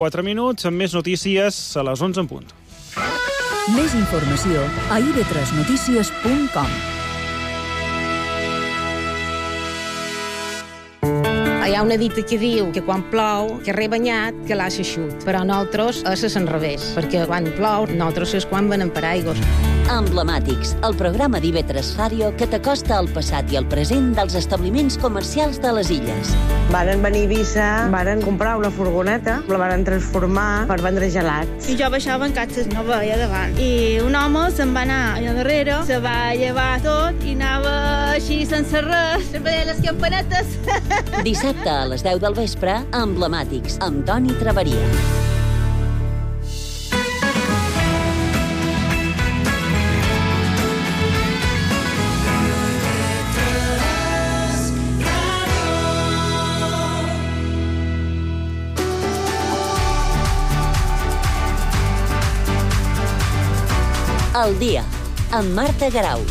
4 minuts, amb més notícies a les 11 en punt. Més informació a ib3notícies.com. Hi ha una dita que diu que quan plou, que rebanyat, que l'assa xut. Però nosaltres és l'enrevés, perquè quan plou, nosaltres és quan venem per aigües. Emblemàtics, el programa d'IV3 Ràdio que t'acosta al passat i al present dels establiments comercials de les illes. Varen venir a Eivissa, varen comprar una furgoneta, la varen transformar per vendre gelats. I jo baixava en catxes, no veia davant. I un home se'n va anar allà darrere, se va llevar tot i anava així sense res, veia les campanetes. Dissabte a les 10 del vespre, Emblemàtics, amb Toni Traveria. El dia, amb Marta Garau.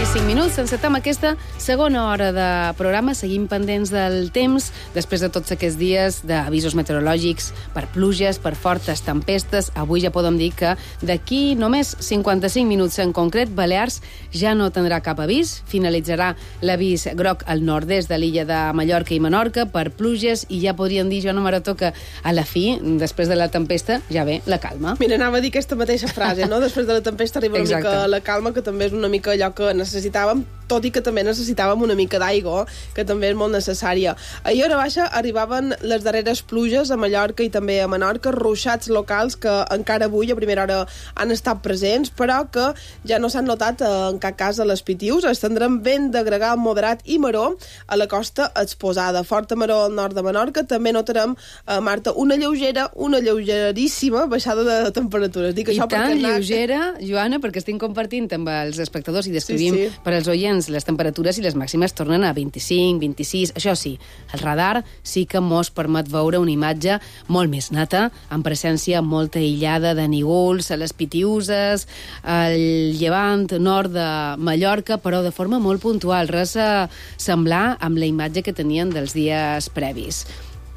I 5 minuts, encetem aquesta segona hora de programa. Seguim pendents del temps, després de tots aquests dies d'avisos meteorològics per pluges, per fortes tempestes. Avui ja podem dir que d'aquí només 55 minuts en concret, Balears ja no tindrà cap avís. Finalitzarà l'avís groc al nord-est de l'illa de Mallorca i Menorca per pluges i ja podríem dir, Joana Marató, que a la fi, després de la tempesta, ja ve la calma. Mira, anava a dir aquesta mateixa frase, no? Després de la tempesta arriba una mica la calma, que també és una mica allò que necessitàvem, tot i que també necessitàvem una mica d'aigua, que també és molt necessària. Ahir a hora baixa arribaven les darreres pluges a Mallorca i també a Menorca, ruixats locals que encara avui a primera hora han estat presents, però que ja no s'han notat en cap cas a les Pitius. Es tindrem vent de gregal moderat i maró a la costa exposada. Forta maró al nord de Menorca. També notarem, Marta, una lleugeríssima baixada de temperatures. Dic I això tan lleugera, Joana, perquè estic compartint amb els espectadors i descrivim per als oients les temperatures i les màximes tornen a 25, 26. Això sí, el radar sí que mos permet veure una imatge molt més neta, amb presència molta aïllada de nígols a les Pitiuses, al llevant nord de Mallorca, però de forma molt puntual, res a semblar amb la imatge que tenien dels dies previs.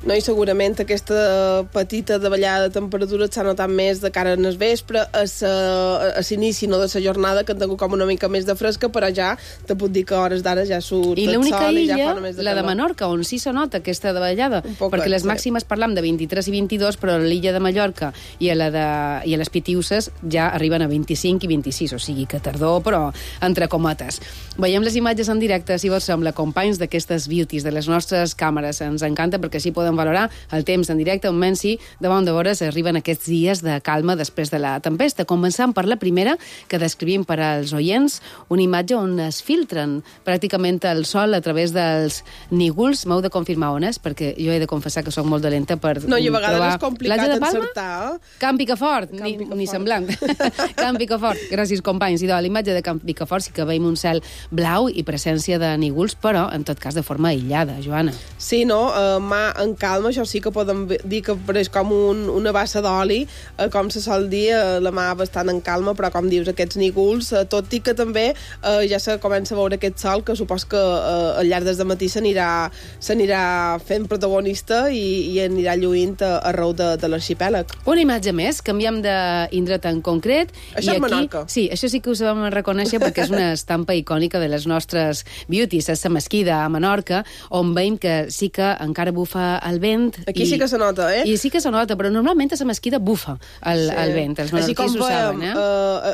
No, i segurament aquesta petita davallada de temperatura s'ha notat més de cara al vespre, a l'inici de la jornada, que han tingut com una mica més de fresca, però ja te puc dir que a hores d'ara ja surt el sol i ja fa només de calor. I l'única illa, la de Menorca, on sí se nota aquesta davallada, perquè les màximes parlam de 23 i 22, però a l'illa de Mallorca i a les Pitiuses ja arriben a 25 i 26, o sigui que tardor, però entre cometes. Veiem les imatges en directe, si vos sembla, companys d'aquestes beauties, de les nostres càmeres. Ens encanta perquè així podem valorar el temps en directe, on menys davant de vores arriben aquests dies de calma després de la tempesta. Començant per la primera, que descrivim per als oients, una imatge on es filtren pràcticament el sol a través dels nígols. M'heu de confirmar on és, perquè jo he de confessar que soc molt dolenta per trobar... No, i a vegades és complicat encertar. Camp Picafort, ni semblant. Camp Picafort, gràcies companys. I la imatge de Camp Picafort sí que veiem un cel blau i presència de nígols, però en tot cas de forma aïllada, Joana. Sí, no? Mà en calma, això sí que podem dir que és com una bassa d'oli, com se sol dir, la mà bastant en calma, però com dius, aquests nígols, tot i que també ja se comença a veure aquest sol, que supos que al llarg del matí s'anirà fent protagonista i anirà lluint arreu de l'arxipèlag. Una imatge més, canviem d'indret en concret. Això és Menorca. Sí, això sí que us vam reconèixer perquè és una estampa icònica de les nostres beauties, és la mesquida a Menorca, on veiem que sí que encara bufa el vent. Aquí sí que se nota, eh? I sí que se nota, però normalment a la mesquida bufa el vent. Els menorquins ho saben,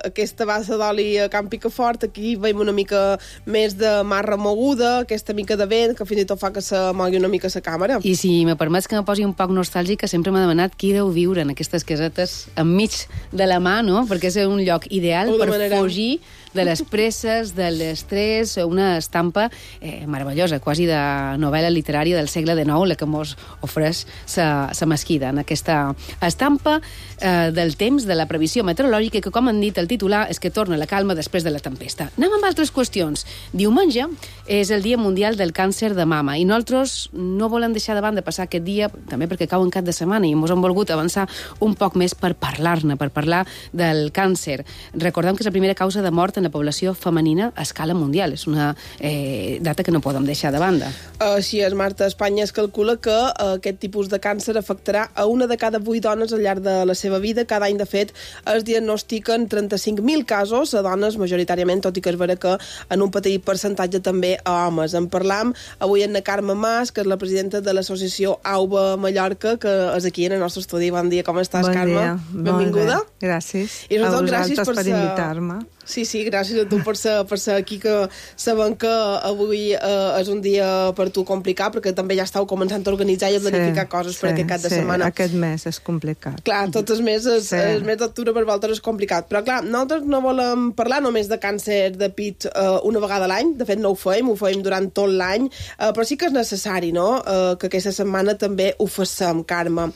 aquesta bassa d'oli a Camp Picafort, aquí veiem una mica més de mar remoguda, aquesta mica de vent, que fins i tot fa que se mogui una mica la càmera. I si me permets que me posi un poc nostàlgica, sempre m'ha demanat qui deu viure en aquestes casetes enmig de la mà, no? Perquè és un lloc ideal per fugir de les presses, de l'estrès, una estampa meravellosa, quasi de novel·la literària del segle XIX, la que mos ofereix sa Mesquida, en aquesta estampa del temps, de la previsió meteorològica, que, com han dit el titular, és que torna la calma després de la tempesta. Anem amb altres qüestions. Diumenge és el Dia Mundial del Càncer de Mama i nosaltres no volem deixar de banda passar aquest dia, també perquè cau en cap de setmana i ens hem volgut avançar un poc més per parlar-ne, per parlar del càncer. Recordem que és la primera causa de mort en la població femenina a escala mundial. És una data que no podem deixar de banda. Així és, Marta. A Espanya es calcula que aquest tipus de càncer afectarà a una de cada 8 dones al llarg de la seva vida. Cada any, de fet, es diagnostiquen 35.000 casos a dones, majoritàriament, tot i que és vera que en un petit percentatge també a homes. En parlam avui amb la Carme Mas, que és la presidenta de l'associació AUBA Mallorca, que és aquí en el nostre estudi. Bon dia, com estàs, Carme? Bon dia. Benvinguda. Gràcies. I a vosaltres gràcies per invitar-me. Sí, gràcies a tu per ser aquí, que sabem que avui és un dia per tu complicat, perquè també ja estàu començant a organitzar i a planificar coses per aquest cap de setmana. Aquest mes és complicat. Clar, tots els mesos, el mes d'octubre per vosaltres és complicat. Però clar, nosaltres no volem parlar només de càncer de pit una vegada a l'any, de fet no ho fem durant tot l'any, però sí que és necessari, no?, que aquesta setmana també ho facem, Carme.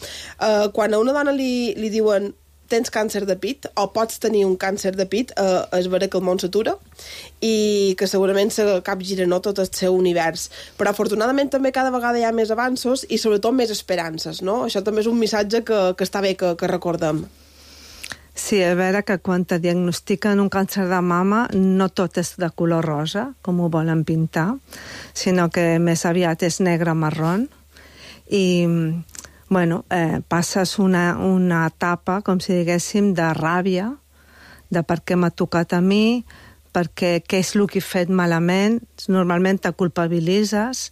Quan a una dona li diuen tens càncer de pit o pots tenir un càncer de pit, és vera que el món s'atura i que segurament se capgira, no?, tot el seu univers. Però afortunadament també cada vegada hi ha més avanços i sobretot més esperances, no? Això també és un missatge que està bé que recordem. Sí, és vera que quan te diagnostiquen un càncer de mama no tot és de color rosa, com ho volen pintar, sinó que més aviat és negre-marrón i bueno, passes una etapa, com si diguéssim, de ràbia, de per què m'ha tocat a mi, perquè què és el que he fet malament, normalment te culpabilitzes,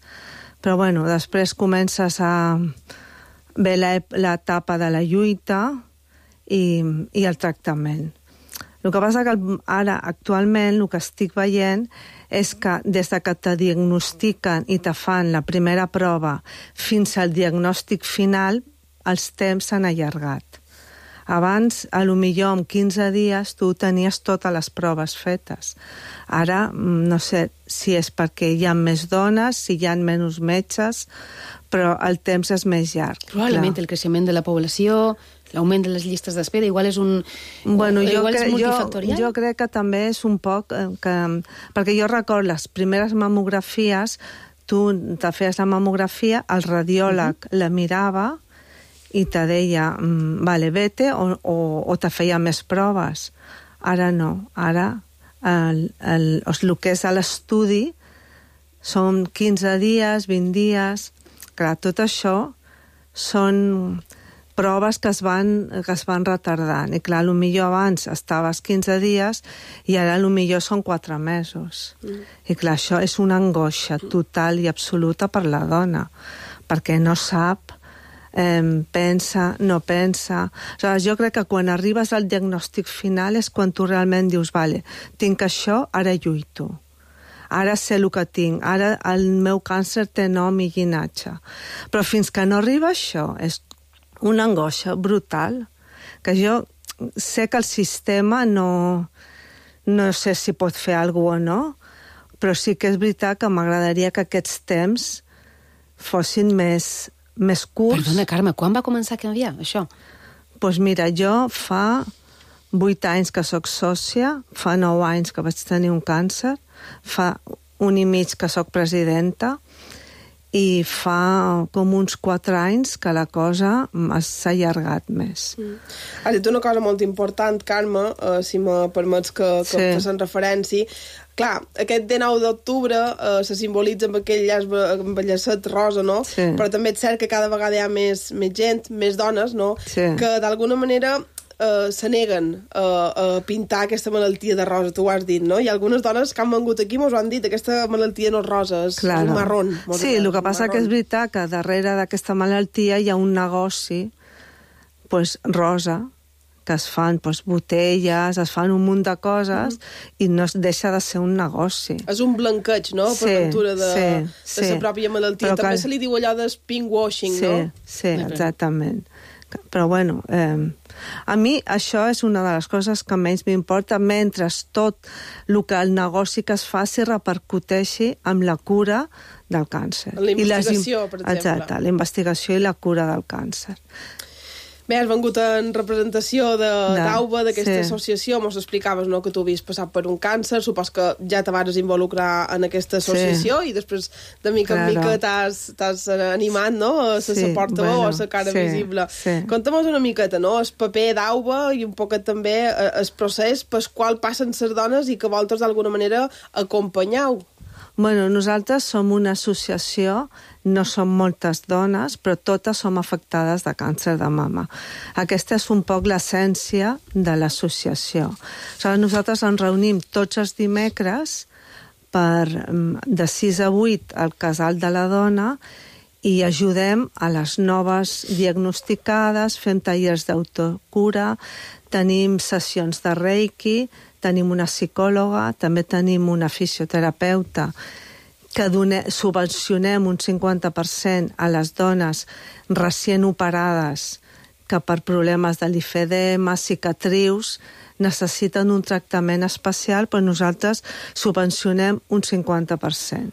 però bueno, després comences a ver l'etapa de la lluita i el tractament. El que passa que ara, actualment, el que estic veient és que des que te diagnostiquen i te fan la primera prova fins al diagnòstic final, els temps s'han allargat. Abans, a lo millor en 15 dies, tu tenies totes les proves fetes. Ara, no sé si és perquè hi ha més dones, si hi ha menys metges, però el temps és més llarg. Probablement el creixement de la població, l'augment de les llistes d'espera, igual és un... Bueno, igual és multifactorial? Jo crec que també és un poc... perquè jo recordo les primeres mamografies, tu te feies la mamografia, el radiòleg la mirava i te deia, vale, vete, o te feia més proves. Ara no. Ara el que és a l'estudi són 15 dies, 20 dies... Clar, tot això són proves que es van retardant. I clar, potser abans estaves 15 dies i ara potser són 4 mesos. I clar, això és una angoixa total i absoluta per la dona, perquè no sap, pensa, no pensa... Aleshores, jo crec que quan arribes al diagnòstic final és quan tu realment dius, vale, tinc això, ara lluito. Ara sé el que tinc, ara el meu càncer té nom i llinatge. Però fins que no arriba això, és una angoixa brutal, que jo sé que el sistema no sé si pot fer alguna cosa o no, però sí que és veritat que m'agradaria que aquests temps fossin més curts. Perdona, Carme, quan va començar a canviar això? Doncs mira, jo fa 8 anys que sóc sòcia, fa 9 anys que vaig tenir un càncer, fa 1 i mig que sóc presidenta i fa com uns 4 anys que la cosa s'ha allargat més. Has dit una cosa molt important, Carme, si me permets que facin referència. Clar, aquest 19 d'octubre se simbolitza amb aquell llacet rosa, no? Sí. Però també és cert que cada vegada hi ha més gent, més dones, no? Sí. Que d'alguna manera se neguen a pintar aquesta malaltia de rosa, tu ho has dit, no? Hi ha algunes dones que han vengut aquí i mos ho han dit, aquesta malaltia no és rosa, és un marrón. Sí, el que passa que és veritat que darrere d'aquesta malaltia hi ha un negoci rosa, que es fan botelles, es fan un munt de coses i no deixa de ser un negoci. És un blanqueig, no?, per ventura de la pròpia malaltia. Però també se li diu allò de pinkwashing, no? Sí, exactament. Però, bueno, a mi això és una de les coses que menys m'importa, mentre tot el que el negoci que es faci repercuteixi amb la cura del càncer. La investigació, per exemple. Exacte, la investigació i la cura del càncer. Bé, has vengut en representació d'AUBA, d'aquesta associació, mos explicaves, no?, que tu havies passat per un càncer, supos que ja te vas involucrar en aquesta associació i després de mica en mica t'has animat, no?, a ser la portaveu o a la cara visible. Conta'm-nos una miqueta, no?, el paper d'AUBA i un poquet també el procés pel qual passen les dones i que vosaltres d'alguna manera acompanyeu. Bueno, nosaltres som una associació, no som moltes dones, però totes som afectades de càncer de mama. Aquesta és un poc l'essència de l'associació. Nosaltres ens reunim tots els dimecres de 6 a 8 al Casal de la Dona i ajudem a les noves diagnosticades, fem tallers d'autocura, tenim sessions de Reiki, tenim una psicòloga, també tenim una fisioterapeuta que subvencionem un 50% a les dones recient operades que per problemes de lifedema, cicatrius, necessiten un tractament especial, però nosaltres subvencionem un 50%.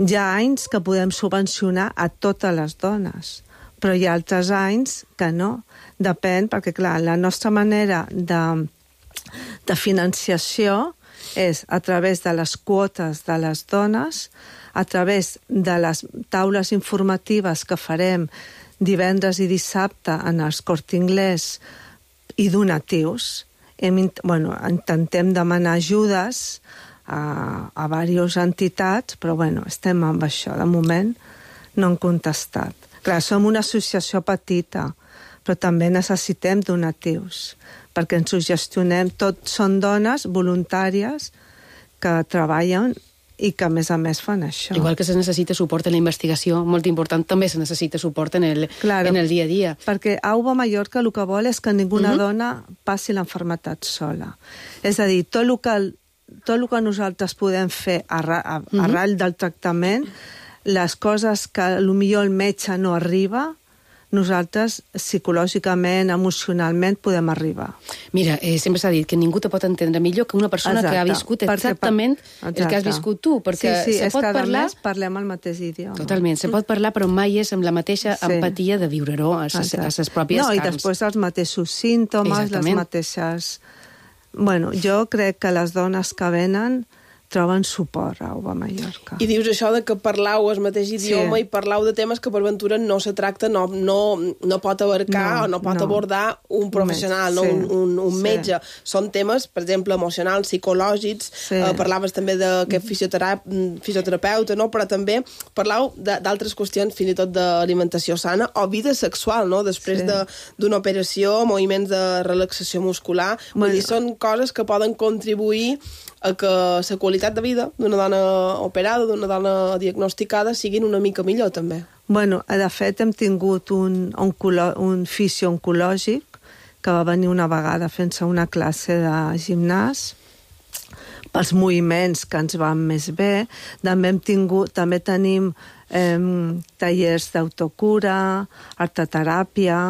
Hi ha anys que podem subvencionar a totes les dones, però hi ha altres anys que no. Depèn, perquè clar, la nostra manera de financiació és a través de les quotes de les dones, a través de les taules informatives que farem divendres i dissabte en els Corte Inglés i donatius. Intentem demanar ajudes a diverses entitats, però estem amb això. De moment no han contestat. Clar, som una associació petita, però també necessitem donatius, perquè ens ho gestionem. Tots són dones voluntàries que treballen i que, a més, fan això. Igual que se necessita suport en la investigació, molt important, també se necessita suport en el dia a dia. Perquè AUBA Mallorca el que vol és que ninguna dona passi l'enfermetat sola. És a dir, tot el que nosaltres podem fer arrel del tractament, les coses que potser el metge no arriba, nosaltres psicològicament, emocionalment podem arribar. Mira, sempre s'ha dit que ningú te pot entendre millor que una persona que ha viscut exactament el que has viscut tu, perquè se pot parlar... Sí, parlem el mateix idioma. Totalment, se pot parlar, però mai és amb la mateixa empatia de viure-ho a les pròpies carns. I després els mateixos símptomes, les mateixes... Jo crec que les dones que venen troben suport a AUBA Mallorca. I dius això de que parlau el mateix idioma i parlau de temes que per ventura no se tracta, no pot abarcar o no pot abordar un professional, un metge. Són temes, per exemple, emocionals, psicològics, parlaves també d'aquest fisioterapeuta, però també parlau d'altres qüestions, fins i tot d'alimentació sana o vida sexual, després d'una operació, moviments de relaxació muscular. Vull dir, són coses que poden contribuir a que la qualitat de vida d'una dona operada, d'una dona diagnosticada, siguin una mica millor, també. De fet, hem tingut un fisio oncològic que va venir una vegada fent-se una classe de gimnàs pels moviments que ens van més bé. També tenim tallers d'autocura, arteteràpia...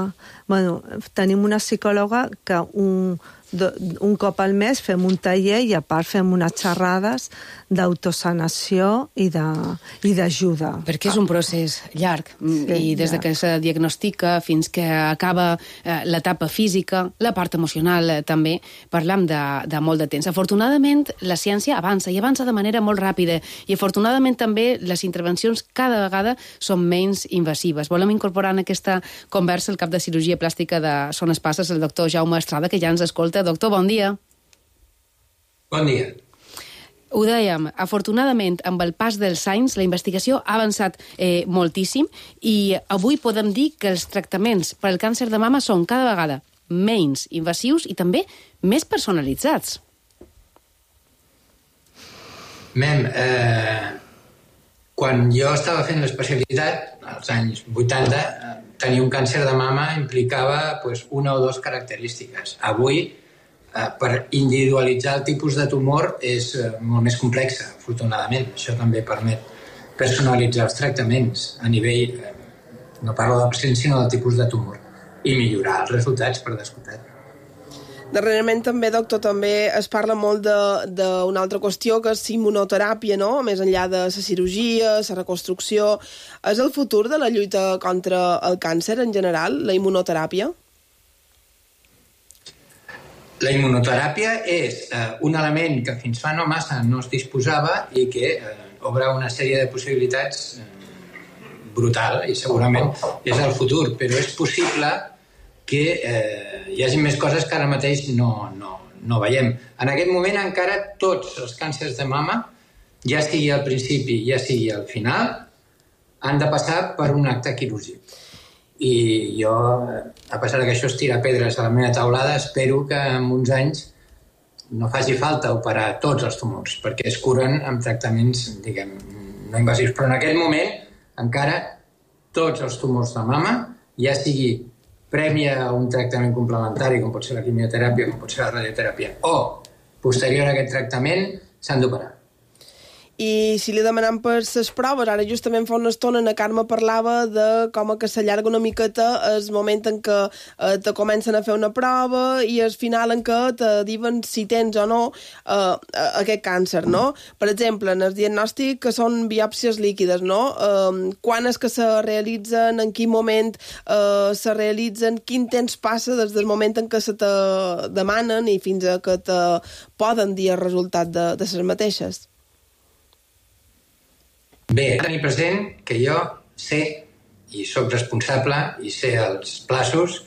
Tenim una psicòloga que un cop al mes fem un taller i a part fem unes xerrades d'autosanació i d'ajuda. Perquè és un procés llarg i des que se diagnostica fins que acaba l'etapa física, la part emocional també, parlam de molt de temps. Afortunadament la ciència avança i avança de manera molt ràpida i afortunadament també les intervencions cada vegada són menys invasives. Volem incorporar en aquesta conversa el cap de cirurgia plàstica de Son Espasses, el doctor Jaume Estrada, que ja ens escolta. Doctor, bon dia. Bon dia. Ho dèiem, afortunadament, amb el pas dels anys, la investigació ha avançat moltíssim i avui podem dir que els tractaments per al càncer de mama són cada vegada menys invasius i també més personalitzats. Quan jo estava fent l'especialitat, als anys 80, tenir un càncer de mama implicava una o dues característiques. Avui, per individualitzar el tipus de tumor és molt més complexa, afortunadament. Això també permet personalitzar els tractaments a nivell, no parlo del pacient, sinó del tipus de tumor. i millorar els resultats, per descomptat. Darrerament també, doctor, també es parla molt d'una altra qüestió, que és immunoteràpia, no? Més enllà de la cirurgia, la reconstrucció. És el futur de la lluita contra el càncer en general, la immunoteràpia? La immunoteràpia és un element que fins fa no massa no es disposava i que obre una sèrie de possibilitats brutal i segurament és el futur, però és possible que hi hagi més coses que ara mateix no veiem. En aquest moment encara tots els càncers de mama, ja sigui al principi, ja sigui al final, han de passar per un acte quirúrgic. I jo, a pesar que això és tirar pedres a la meva taulada, espero que en uns anys no faci falta operar tots els tumors, perquè es curen amb tractaments, diguem, no invasius. Però en aquest moment encara tots els tumors de mama, ja sigui previ a un tractament complementari, com pot ser la quimioteràpia, com pot ser la radioteràpia, o posterior a aquest tractament, s'han d'operar. I si li demanem per les proves, ara justament fa una estona la Carme parlava de com que s'allarga una miqueta el moment en què te comencen a fer una prova i al final en què te diuen si tens o no aquest càncer, no? Per exemple, en el diagnòstic que són biòpsies líquides, no? Quan és que se realitzen, en quin moment se realitzen, quin temps passa des del moment en què se te demanen i fins a que te poden dir el resultat de les mateixes? Bé, tenir present que jo sé i sóc responsable i sé els plaços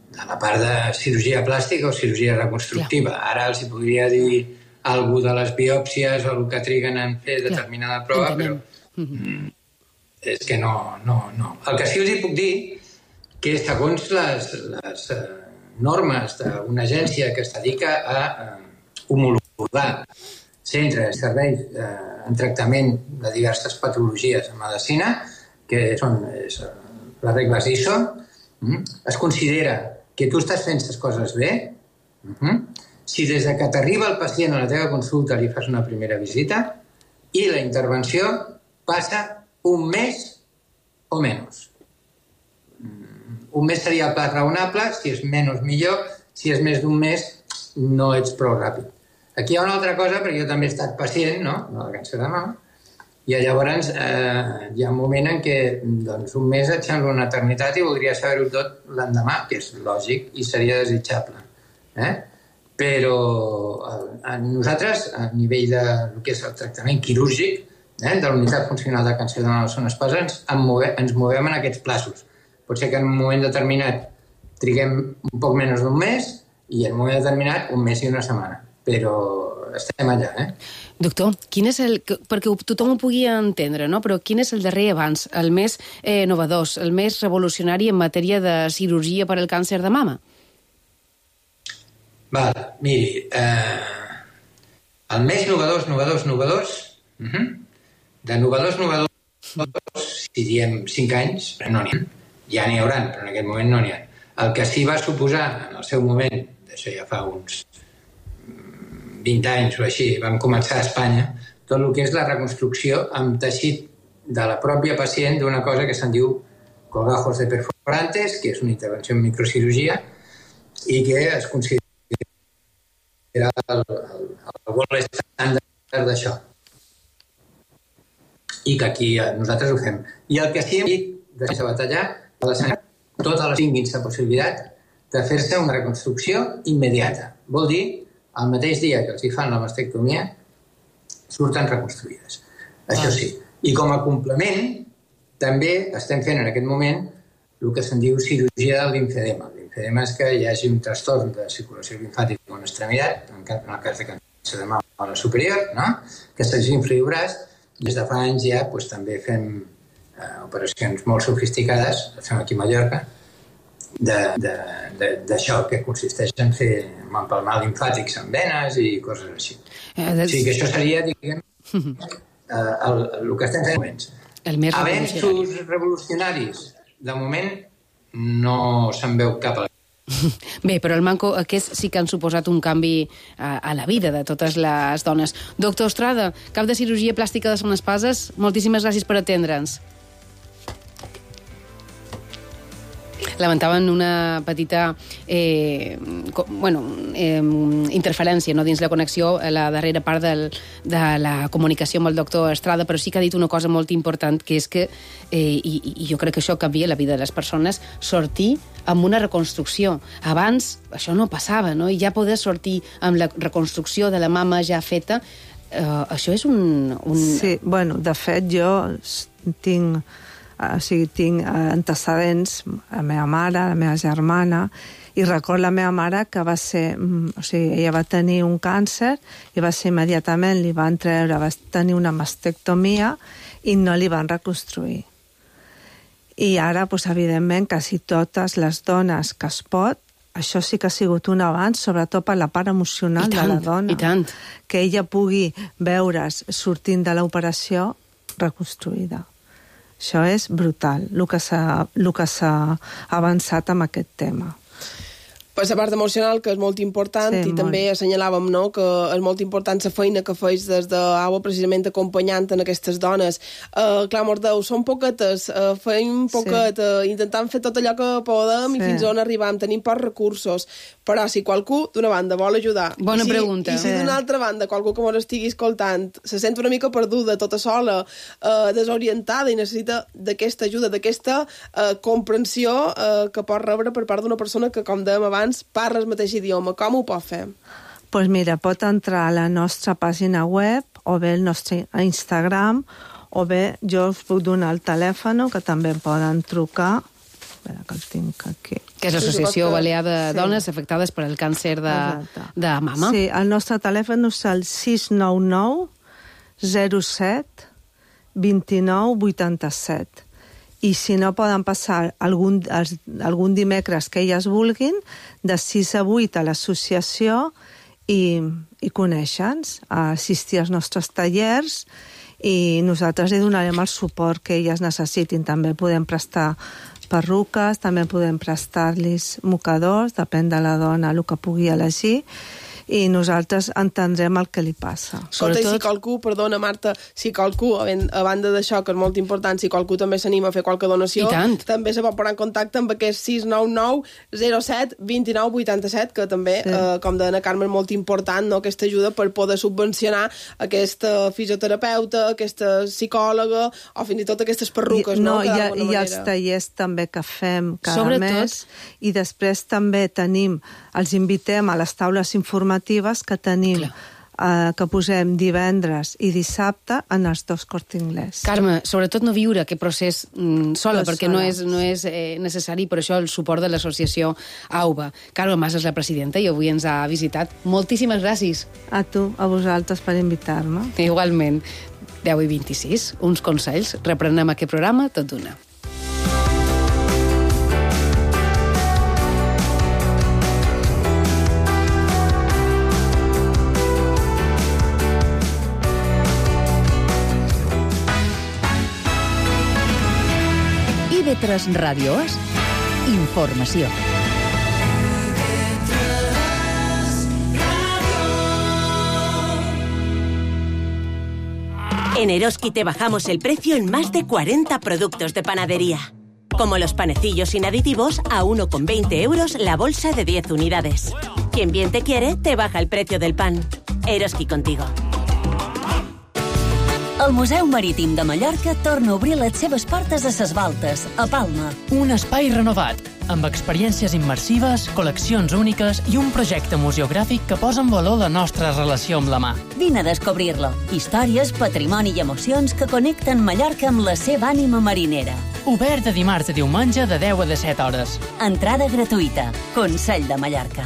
de la part de cirurgia plàstica o cirurgia reconstructiva. Ara els podria dir alguna de les biòpsies o el que triguen en fer determinada prova, però és que no. El que sí us hi puc dir que segons les normes d'una agència que es dedica a homologar centres, serveis en tractament de diverses patologies en medicina, que són les regles ISO, es considera que tu estàs fent les coses bé. Si des que t'arriba el pacient a la teva consulta li fas una primera visita i la intervenció passa un mes o menys. Un mes seria el pla raonable, si és menys millor, si és més d'un mes no ets prou ràpid. Aquí hi ha una altra cosa, perquè jo també he estat pacient, no?, de càncer de mama, i llavors hi ha un moment en què un mes et sembla una eternitat i voldria saber-ho tot l'endemà, que és lògic i seria desitjable. Però nosaltres, a nivell del que és el tractament quirúrgic, de la unitat funcional de càncer de mama són espasants, ens movem en aquests plaços. Pot ser que en un moment determinat triguem un poc menys d'un mes i en un moment determinat un mes i una setmana. Però estem allà, Doctor, quin és perquè tothom ho pugui entendre, no? Però quin és el darrer avanç, el més innovador, el més revolucionari en matèria de cirurgia per al càncer de mama? Miri, el més novedors, de novedors, si diem 5 anys, però no n'hi ha. Ja n'hi haurà, però en aquest moment no n'hi ha. El que sí va suposar en el seu moment, d'això ja fa uns 20 anys o així, vam començar a Espanya, tot el que és la reconstrucció amb teixit de la pròpia pacient d'una cosa que se'n diu colgajos de perforantes, que és una intervenció en microcirurgia i que es considera el gold estàndard d'això. I que aquí nosaltres ho fem. I el que sí hem dit, després de batallar, totes les tinguin la possibilitat de fer-se una reconstrucció immediata. Vol dir, el mateix dia que els hi fan la mastectomia, surten reconstruïdes. Això sí. I com a complement, també estem fent en aquest moment el que se'n diu cirurgia del limfedema. El limfedema és que hi hagi un trastorn de circulació limfàtica en una extremitat, en el cas de càncer de mama a la superior, que s'infli el braç. Des de fa anys ja també fem operacions molt sofisticades, fem aquí a Mallorca, d'això, que consisteix en fer empalmar limfàtics amb venes i coses així. O sigui que això seria, diguem, el que estem fent moments. Avenços revolucionaris, de moment, no se'n veu cap a la... Bé, però el manco aquests sí que han suposat un canvi a la vida de totes les dones. Doctor Estrada, cap de cirurgia plàstica de Son Espases, moltíssimes gràcies per atendre'ns. Lamentaven una petita interferència, no, dins la connexió a la darrera part de la comunicació amb el doctor Estrada, però sí que ha dit una cosa molt important, que és que, i jo crec que això canvia la vida de les persones, sortir amb una reconstrucció. Abans això no passava, no? I ja poder sortir amb la reconstrucció de la mama ja feta, això és un... Sí, bueno, de fet, jo tinc antecedents, la meva mare, la meva germana, i recordo la meva mare que va ser... ella va tenir un càncer i va ser immediatament, li van treure, va tenir una mastectomia i no li van reconstruir. I ara, evidentment, quasi totes les dones que es pot, això sí que ha sigut un avanç, sobretot per la part emocional de la dona. I tant. Que ella pugui veure's sortint de l'operació reconstruïda. Això és brutal, el que s'ha avançat amb aquest tema. Per la part emocional, que és molt important, sí, i molt. També assenyalàvem, no?, que és molt important la feina que feis des d'AUA, precisament acompanyant en aquestes dones. Clar, Mordeu, són poquetes, feim poquet, sí. Intentant fer tot allò que podem, sí. I fins on arribam, tenim pocs recursos, però si qualcú, d'una banda, vol ajudar, bona pregunta. I si d'una altra banda, qualcú que ens estigui escoltant, se sent una mica perduda, tota sola, desorientada i necessita d'aquesta ajuda, d'aquesta comprensió que pot rebre per part d'una persona que, com dèiem abans, parla el mateix idioma. Com ho pot fer? Doncs mira, pot entrar a la nostra pàgina web o bé el nostre Instagram o bé jo us puc donar el telèfon que també poden trucar. Espera, que el tinc aquí. Que és l'Associació Balear de Dones Afectades per el càncer de mama. Sí, el nostre telèfon és el 699 07 29 87. I si no poden passar algun dimecres que elles vulguin, de 6 a 8 a l'associació i conèixer-nos, assistir als nostres tallers i nosaltres li donarem el suport que elles necessitin. També podem prestar perruques, també podem prestar-los mocadors, depèn de la dona el que pugui elegir, i nosaltres entendrem el que li passa. Escolta, i si qualcú, perdona Marta, si qualcú, a banda d'això, que és molt important, si qualcú també s'anima a fer qualque donació, també se pot posar en contacte amb aquest 699 07 29 87, que també, sí. Com deia Carme, és molt important, no?, aquesta ajuda per poder subvencionar aquesta fisioterapeuta, aquesta psicòloga, o fins i tot aquestes perruques, no? I els tallers també que fem cada mes, i després també els invitem a les taules informatives que tenim, que posem divendres i dissabte en els dos Corte Inglés. Carme, sobretot no viure aquest procés sola, perquè no és necessari, per això el suport de l'associació AUBA. Carme Mas és la presidenta i avui ens ha visitat. Moltíssimes gràcies. A tu, a vosaltres, per invitar-me. Igualment. 10:26, uns consells. Reprenem aquest programa tot d'una. IB3 Ràdio és informació. En Eroski te bajamos el precio en más de 40 productos de panadería. Como los panecillos sin aditivos a 1,20 € la bolsa de 10 unidades. Quien bien te quiere, te baja el precio del pan. Eroski contigo. El Museu Marítim de Mallorca torna a obrir les seves portes a Ses Baltes, a Palma. Un espai renovat, amb experiències immersives, col·leccions úniques i un projecte museogràfic que posa en valor la nostra relació amb la mà. Vine a descobrir-lo. Històries, patrimoni i emocions que connecten Mallorca amb la seva ànima marinera. Obert de dimarts a diumenge de 10 a 17 hores. Entrada gratuïta. Consell de Mallorca.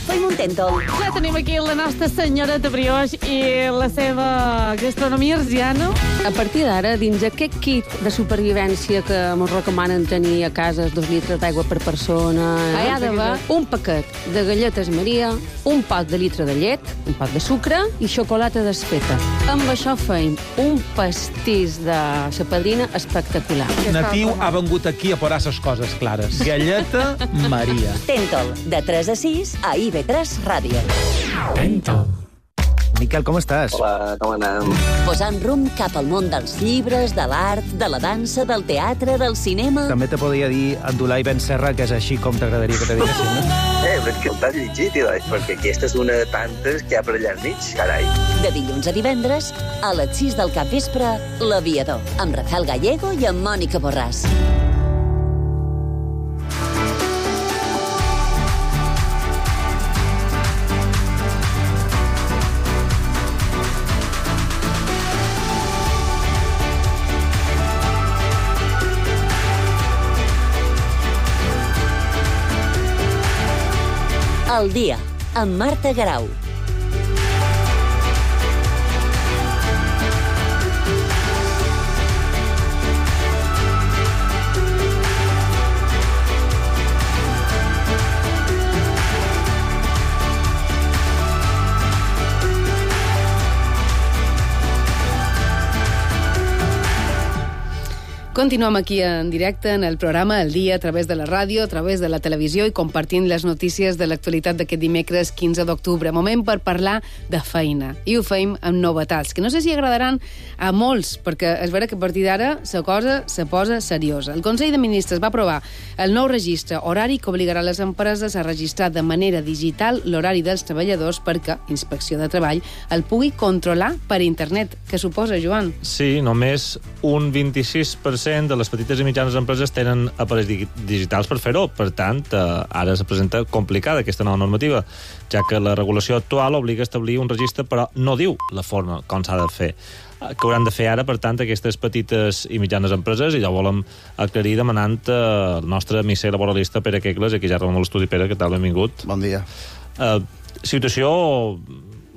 Fem un tèntol. Ja tenim aquí la nostra senyoreta brioix i la seva gastronomia arsiana. A partir d'ara, dins aquest kit de supervivència que ens recomanen tenir a casa 2 litres d'aigua per persona, hi ha d'haver un paquet de galletes Maria, un pot de litre de llet, un pot de sucre i xocolata desfeta. Amb això feim un pastís de sa padrina espectacular. Natiu ha vengut aquí a posar les coses clares. Galleta Maria. Tèntol, de 3 a 6 a IB3 Ràdio. Tèntol. Miquel, com estàs? Hola, com anem? Posant rumb cap al món dels llibres, de l'art, de la dansa, del teatre, del cinema... També te podria dir Abdulai Ben Serra, que és així com t'agradaria que te diguessin, no? Però que el t'has llegit, perquè aquesta és una de tantes que hi ha per allà al mig, carai. De dilluns a divendres, a les 6 del capvespre, L'Aviador, amb Rafael Gallego i amb Mònica Borràs. El dia, amb Marta Garau. Continuem aquí en directe en el programa El Dia, a través de la ràdio, a través de la televisió i compartint les notícies de l'actualitat d'aquest dimecres 15 d'octubre. Moment per parlar de feina. I ho feim amb novetats, que no sé si agradaran a molts, perquè és vera que a partir d'ara la cosa se posa seriosa. El Consell de Ministres va aprovar el nou registre horari que obligarà les empreses a registrar de manera digital l'horari dels treballadors perquè Inspecció de Treball el pugui controlar per internet. Què suposa, Joan? Sí, només un 26% de les petites i mitjanes empreses tenen aparells digitals per fer-ho. Per tant, ara se presenta complicada aquesta nova normativa, ja que la regulació actual obliga a establir un registre, però no diu la forma com s'ha de fer. Que hauran de fer ara, per tant, aquestes petites i mitjanes empreses, i ja volem aclarir demanant el nostre misser laboralista Pere Quegles, aquí ja rebem a l'estudi. Pere, què tal? Benvingut. Bon dia. Situació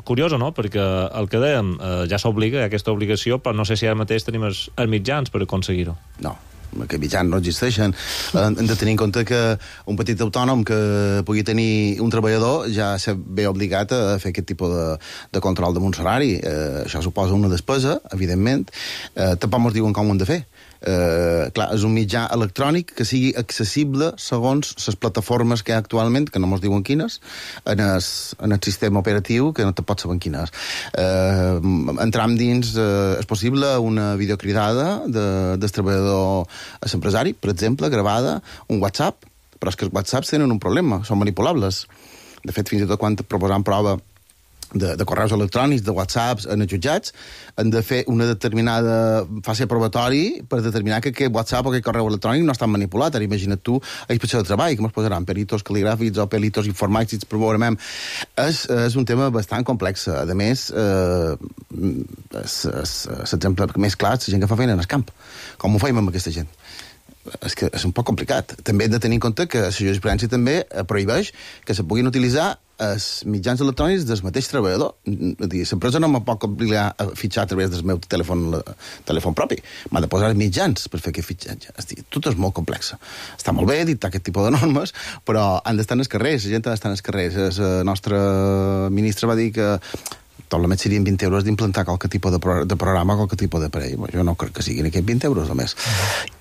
curiosa, no? Perquè el que dèiem, ja s'obliga, aquesta obligació, però no sé si ara mateix tenim els mitjans per aconseguir-ho. No, que mitjans no existeixen. Hem de tenir en compte que un petit autònom que pugui tenir un treballador ja se ve obligat a fer aquest tipus de control de un salari. Això suposa una despesa, evidentment. Tampoc ens diuen com ho hem de fer. Clar, és un mitjà electrònic que sigui accessible segons les plataformes que hi ha actualment, que no ens diuen quines, en el sistema operatiu, que no te pots saber quines. Entram dins, és possible una videocridada del treballador a l'empresari, per exemple, gravada, un WhatsApp, però és que els WhatsApps tenen un problema, són manipulables. De fet, fins i tot quan proposam prova de correus electrònics, de whatsapps en els jutjats, han de fer una determinada fase probatori per determinar que aquest whatsapp o aquest correu electrònic no està manipulat. Ara imagina't tu a Inspecció de Treball, que ens posaran peritos cal·ligràfics o peritos informàtics, programem. És un tema bastant complex. A més, l'exemple més clar és la gent que fa feina en el camp. Com ho feim amb aquesta gent? És que és un poc complicat. També hem de tenir en compte que la jurisprudència també prohibeix que se puguin utilitzar els mitjans electrònics del mateix treballador. L'empresa no me pot obligar a fitxar a través del meu telèfon propi. M'ha de posar els mitjans per fer aquest fitxatge. Tot és molt complex. Està molt bé dictar aquest tipus de normes, però han d'estar en els carrers, la gent ha d'estar en els carrers. El nostre ministre va dir que probablement serien 20 euros d'implantar qualque tipus de programa, qualque tipus d'aparell. Jo no crec que siguin aquests 20 euros només.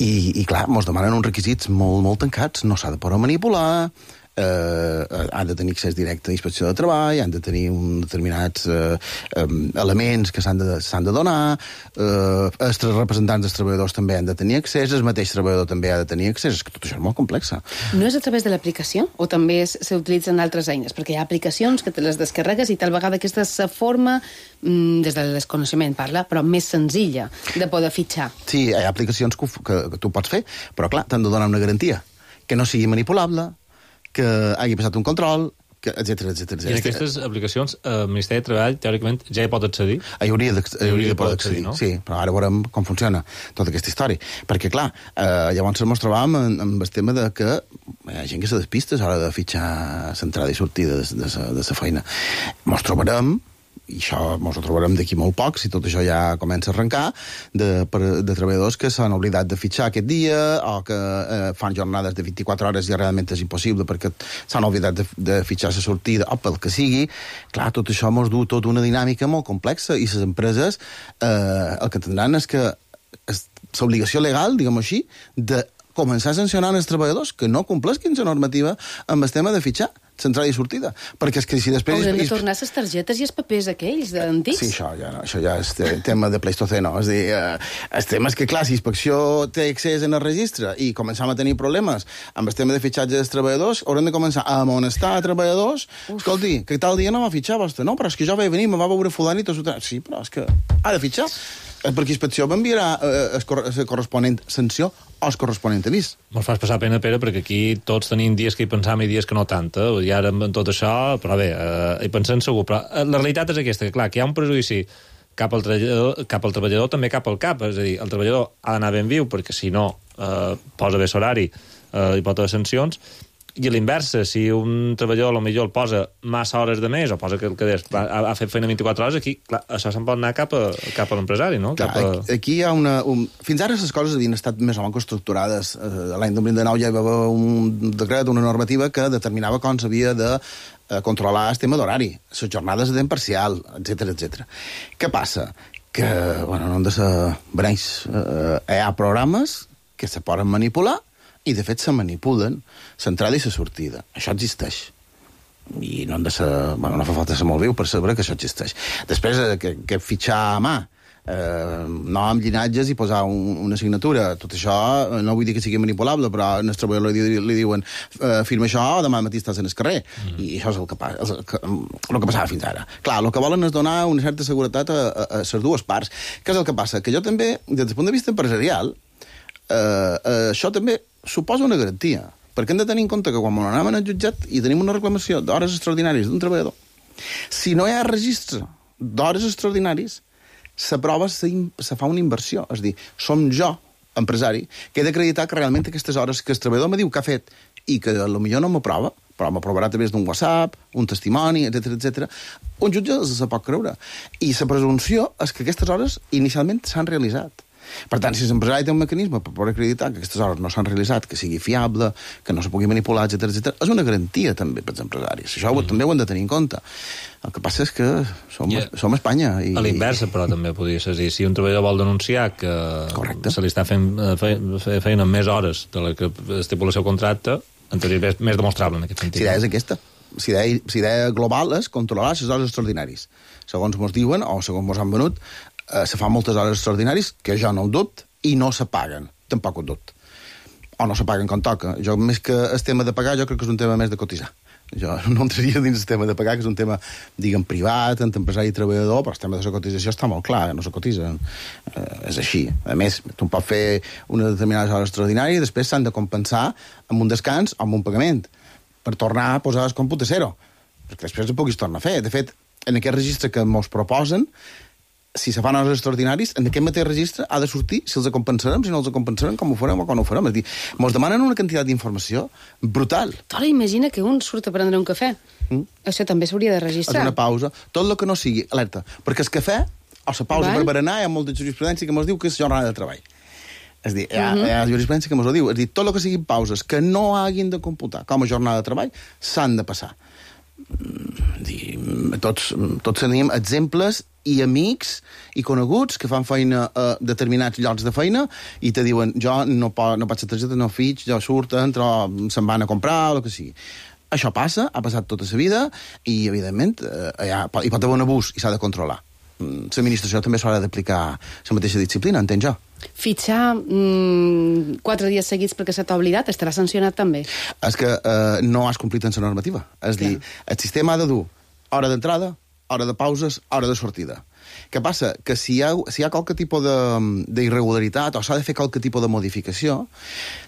I clar, ens demanen uns requisits molt, molt tancats. No s'ha de poder manipular, han de tenir accés directe a Inspecció de Treball, han de tenir determinats elements que s'han de donar, els representants dels treballadors també han de tenir accés, el mateix treballador també ha de tenir accés. És que tot això és molt complex. No és a través de l'aplicació? O també s'utilitzen altres eines? Perquè hi ha aplicacions que te les descarregues i tal vegada aquesta és la forma, des del desconeixement parla, però més senzilla de poder fitxar. Sí, hi ha aplicacions que tu pots fer, però clar, t'han de donar una garantia, que no sigui manipulable, que hagi passat un control, etcètera. I en aquestes aplicacions, el Ministeri de Treball, teòricament, ja hi pot accedir? Hi hauria de poder accedir, no? Sí, però ara veurem com funciona tota aquesta història. Perquè, clar, llavors ens trobàvem amb el tema de que hi ha gent que se despista a l'hora de fitxar l'entrada i sortida de la feina. Ens trobarem, i això ens ho trobarem d'aquí molt poc, si tot això ja comença a arrencar, de treballadors que s'han oblidat de fitxar aquest dia o que fan jornades de 24 hores i realment és impossible perquè s'han oblidat de fitxar la sortida o pel que sigui. Clar, tot això ens du tota una dinàmica molt complexa i les empreses el que tindran és que l'obligació legal, diguem-ho així, de començar a sancionar els treballadors que no complesquin la normativa amb el tema de fitxar. l'entrada i sortida. Perquè és que si després... Haurem de tornar les targetes i els papers aquells antics. Sí, això ja és tema de Pleistoceno. És a dir, el tema és que, clar, si Inspecció té accés en el registre i començam a tenir problemes amb el tema de fitxatge dels treballadors, haurem de començar a amonestar a treballadors. Escolti, que tal dia no va fitxar vostè? No, però és que jo vaig venir, me va veure fulani i tot. Sí, però és que ha de fitxar. Perquè Inspecció m'enviarà la corresponent sanció o el corresponent avís. Me'ls fas passar pena, Pere, perquè aquí tots tenim dies que hi pensam i dies que no tant, i ara amb tot això, però bé, hi pensem segur. Però la realitat és aquesta, que clar, que hi ha un prejudici cap al treballador, també cap al cap, és a dir, el treballador ha d'anar ben viu, perquè si no posa bé l'horari i pot haver sancions, i a l'inversa, si un treballador potser el posa massa hores de més o posa que el que ha fet feina 24 hores, aquí clar, això se'n pot anar cap a l'empresari, no? Clar, aquí hi ha Fins ara les coses havien estat més o menys estructurades. L'any 2009 ja hi va haver un decret, una normativa que determinava com s'havia de controlar el tema d'horari, les jornades de temps parcial, etc. Què passa? Que, bueno, no han de ser beneix. Hi ha programes que se poden manipular i, de fet, se manipulen l'entrada i la sortida. Això existeix. I no han de ser... Bueno, no fa falta ser molt viu per saber que això existeix. Després, que fitxar a mà, nom, llinatges i posar una signatura. Tot això, no vull dir que sigui manipulable, però al treballador li diuen firma això o demà matí estàs en el carrer. I això és el que passava fins ara. Clar, el que volen és donar una certa seguretat a les dues parts. Què és el que passa? Que jo també, des del punt de vista empresarial, això també suposa una garantia, perquè hem de tenir en compte que quan anem al jutjat i tenim una reclamació d'hores extraordinàries d'un treballador, si no hi ha registre d'hores extraordinaris, s'aprova, se fa una inversió. És a dir, som jo, empresari, que he d'acreditar que realment aquestes hores que el treballador me diu que ha fet i que potser no m'aprova, però m'aprovarà a través d'un WhatsApp, un testimoni, etc. Un jutge se pot creure. I la presumpció és que aquestes hores inicialment s'han realitzat. Per tant, si l'empresari té un mecanisme per poder acreditar que aquestes hores no s'han realitzat, que sigui fiable, que no se pugui manipular, etc., és una garantia també per als empresaris. Això també ho hem de tenir en compte. El que passa és que som Espanya. A l'inversa, però, també podria ser. Si un treballador vol denunciar que se li està fent feina amb més hores de la que estipula el seu contracte, en teoria és més demostrable en aquest sentit. Si idea és aquesta. Si idea global és controlar les hores extraordinaris. Segons ens diuen, o segons ens han venut, se fan moltes hores extraordinaris, que jo no ho dubto, i no se paguen. Tampoc ho dubto. O no se paguen com toca. Jo, més que el tema de pagar, jo crec que és un tema més de cotitzar. Jo no entraria dins el tema de pagar, que és un tema, diguem, privat, entre empresari i treballador, però el tema de la cotització està molt clar, no se cotitzen. És així. A més, tu pots fer una determinada hora extraordinària i després s'han de compensar amb un descans o amb un pagament, per tornar a posar el còmput a zero, perquè després ho puguis tornar a fer. De fet, en aquest registre que ens proposen, si se fan hores extraordinaris, en aquest mateix registre ha de sortir si els compensarem, si no els compensarem, com ho farem o com ho farem. És a dir, ens demanen una quantitat d'informació brutal. Ara imagina que un surt a prendre un cafè. Això també s'hauria de registrar. És una pausa. Tot el que no sigui, alerta, perquè el cafè o la pausa per berenar hi ha molta jurisprudència que ens diu que és jornada de treball. És a dir, hi ha jurisprudència que ens ho diu. És a dir, tot el que siguin pauses que no hagin de computar com a jornada de treball s'han de passar. Tots tenim exemples i amics i coneguts que fan feina a determinats llocs de feina i te diuen, jo no faig la targeta, no fitx, jo surto, entro, se'n van a comprar, o el que sigui. Això passa, ha passat tota la vida i, evidentment, hi pot haver un abús i s'ha de controlar. L'administració també s'haurà d'aplicar la mateixa disciplina, entenc jo. Fitxar 4 dies seguits perquè se t'ha oblidat estarà sancionat també. És que no has complit en la normativa. És dir, el sistema ha de dur hora d'entrada, hora de pauses, hora de sortida. Què passa? Que si hi ha qualque tipus d'irregularitat o s'ha de fer qualque tipus de modificació,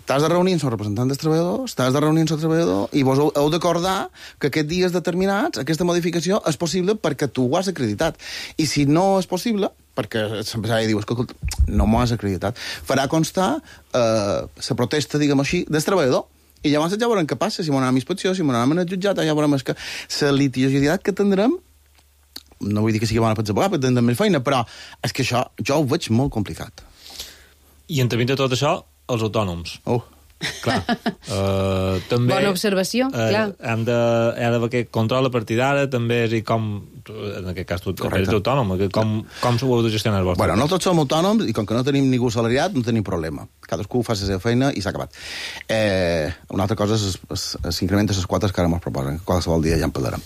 t'has de reunir amb el representant dels treballadors, t'has de reunir amb el treballador i vos heu d'acordar que aquests dies determinats aquesta modificació és possible perquè tu ho has acreditat. I si no és possible, perquè l'empresari diu, escolta, no m'ho has acreditat, farà constar la protesta, diguem així, del treballador. I llavors ja veurem què passa, si m'anem a inspecció, si m'anem a jutjat, ja veurem que la litigiositat que tindrem, no vull dir que sigui bona per advocar, perquè tindrem més feina, però és que això jo ho veig molt complicat. I entremig de tot això, els autònoms. Clar. També, bona observació, clar. Ha d'haver aquest control a partir d'ara, també és com, en aquest cas tu eres autònom, com s'ho heu de gestionar el vostre? Bueno, nosaltres som autònoms i com que no tenim ningú salariat no tenim problema. Cadascú fa la seva feina i s'ha acabat. Una altra cosa s'incrementa les quotes que ara ens proposen. Qualsevol dia ja en parlarem.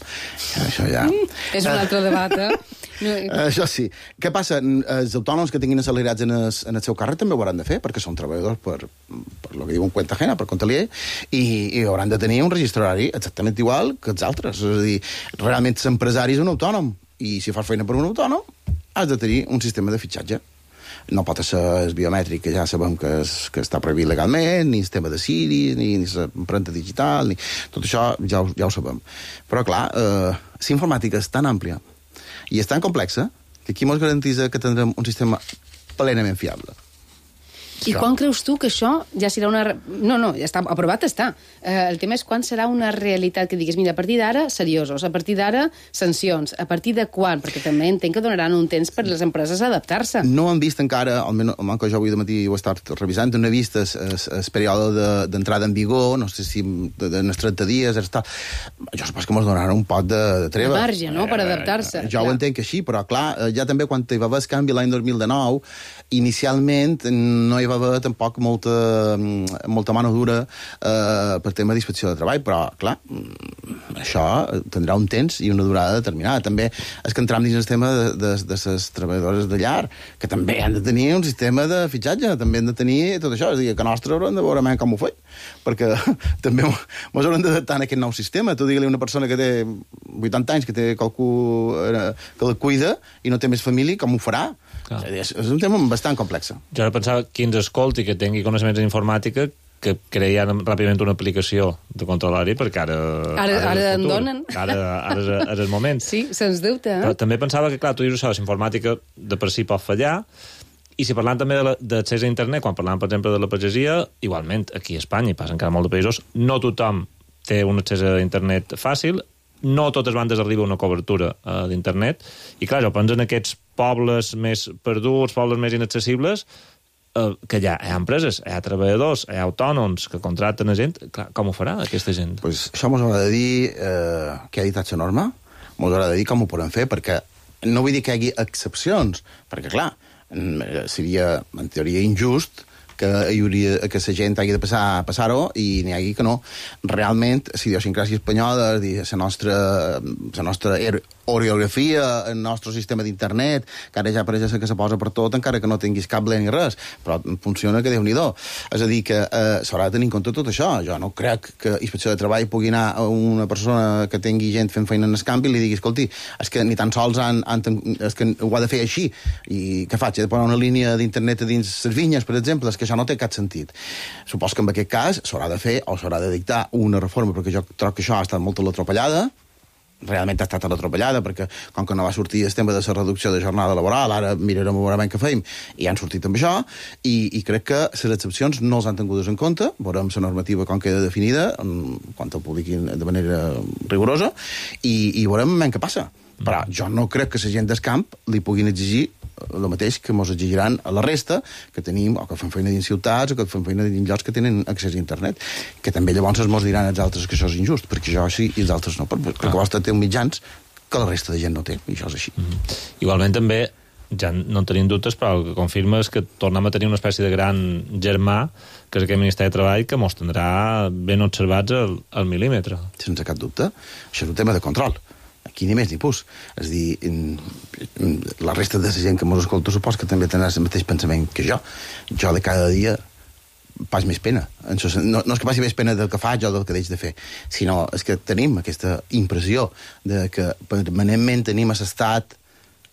Això ja... És un altre debat, Això sí. Què passa? Els autònoms que tinguin assalariats en el seu càrrec també ho hauran de fer, perquè són treballadors per lo que diuen cuenta ajena, per compte aliè, i hauran de tenir un registre horari exactament igual que els altres. És a dir, realment l'empresari és un autònom, i si fas feina per un autònom, has de tenir un sistema de fitxatge. No pot ser el biomètric, que ja sabem que està prohibit legalment, ni el tema de Siri, ni l'empremta digital, ni... tot això ja ho sabem. Però, clar, la informàtica és tan àmplia i és tan complexa que qui ens garantitza que tindrem un sistema plenament fiable. I quan creus tu que això ja serà una... No, ja està, aprovat està. El tema és quan serà una realitat que diguis, mira, a partir d'ara, seriosos, a partir d'ara, sancions, a partir de quan? Perquè també entenc que donaran un temps per les empreses a adaptar-se. No han vist encara, almenys que jo avui de matí ho he estat revisant, no he vist el període d'entrada en vigor, no sé si en els 30 dies, jo supos que ens donaran un pot de treva. De marge, no?, per adaptar-se. Jo ho entenc així, però clar, ja també quan hi va haver el canvi l'any 2019, inicialment no hi va haver tampoc molta mano dura per tema d'inspecció de treball, però, clar, això tindrà un temps i una durada determinada. També és que entrem dins el tema de les treballadores de llar, que també han de tenir un sistema de fitxatge, també han de tenir tot això, és a dir, que nostre haurem de veure com ho faig, perquè també ens haurem d'adaptar a aquest nou sistema. Tu digue-li a una persona que té 80 anys, que té qualcú que la cuida i no té més família, com ho farà? És un tema bastant complex. Jo ara pensava qui ens escolti, que tingui coneixements d'informàtica, que creien ràpidament una aplicació de control horari, perquè ara en donen. Ara és el moment. Sí, sens dubte. Però també pensava que, clar, tu dius això, la informàtica de per si pot fallar, i si parlant també d'accés a internet, quan parlàvem, per exemple, de la pagesia, igualment, aquí a Espanya, i passa encara molt de països, no tothom té un accés a internet fàcil, no a totes bandes arriba una cobertura d'internet, i clar, jo penso en aquests pobles més perduts, pobles més inaccessibles, que hi ha empreses, hi ha treballadors, hi ha autònoms que contracten a gent. Clar, com ho farà aquesta gent? Pues això ens haurà de dir què ha dit la norma, ens haurà de dir com ho podem fer, perquè no vull dir que hi hagi excepcions, perquè clar, seria en teoria injust que la gent hagi de passar-ho i n'hi hagi que no. Realment, la idiosincràsia espanyola, la nostra orografia, el nostre sistema d'internet, que ara ja pareix que se posa per tot, encara que no tinguis cable ni res, però funciona que Déu-n'hi-do. És a dir, que s'haurà de tenir en compte tot això. Jo no crec que Inspecció de Treball pugui anar a una persona que tingui gent fent feina en el camp i li digui, escolti, és que ni tan sols és que ho ha de fer així. I què faig? He de posar una línia d'internet a dins les vinyes, per exemple? És que això no té cap sentit. Supos que en aquest cas s'haurà de fer o s'haurà de dictar una reforma, perquè jo trobo que això ha estat molt a l'atropellada, realment ha estat a l'atropellada, perquè com que no va sortir el tema de la reducció de jornada laboral, ara mirarem a veure què feim, i han sortit amb això, i crec que les excepcions no els han tingudes en compte, veurem la normativa com queda definida, quan ho publiquin de manera rigorosa, i veurem què passa. Però jo no crec que la gent del camp li puguin exigir el mateix que ens exigiran a la resta que tenim, o que fem feina dins ciutats, o que fem feina dins llocs que tenen accés a internet, que també llavors ens diran els altres que això és injust, perquè jo sí i els altres no, perquè el vostre té mitjans que la resta de gent no té, i això és així. Igualment també, ja no en tenim dubtes, però el que confirma és que tornem a tenir una espècie de gran germà, que és aquest Ministeri de Treball, que mos tindrà ben observats al mil·límetre. Sense cap dubte. Això és un tema de control. Aquí ni més ni pus. És a dir, la resta de la gent que mos escolta supos que també tindrà el mateix pensament que jo. Jo de cada dia pas més pena. No és que passi més pena del que faig o del que deix de fer, sinó és que tenim aquesta impressió de que permanentment tenim a l'estat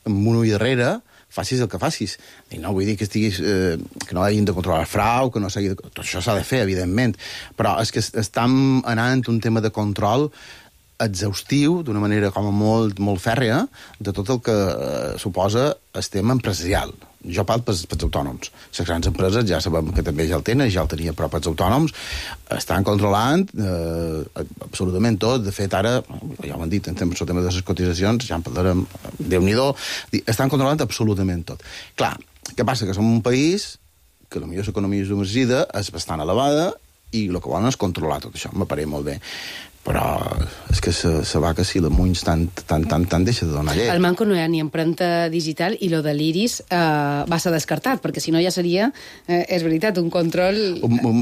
amb un ull darrere, facis el que facis. I no vull dir que estiguis que no hagin de controlar el frau, que no s'hagi de... Tot això s'ha de fer, evidentment, però és que estem anant un tema de control exhaustiu, d'una manera com molt, molt fèrrea, de tot el que suposa el tema empresarial. Jo parlo pels autònoms. Les grans empreses ja sabem que també ja el tenen, ja el tenia, però pels autònoms estan controlant absolutament tot. De fet, ara, ja ho han dit, en el tema de les cotitzacions, ja en parlarem, Déu-n'hi-do, estan controlant absolutament tot. Clar, què passa? Que som un país que potser l'economia submergida és bastant elevada i el que volen és controlar tot això, m'apareix molt bé. Però és que se va que si l'Amunys tant deixa de donar llet. El Manco no hi ha ni empremta digital i lo de l'Iris va ser descartat, perquè si no ja seria, és veritat, un control...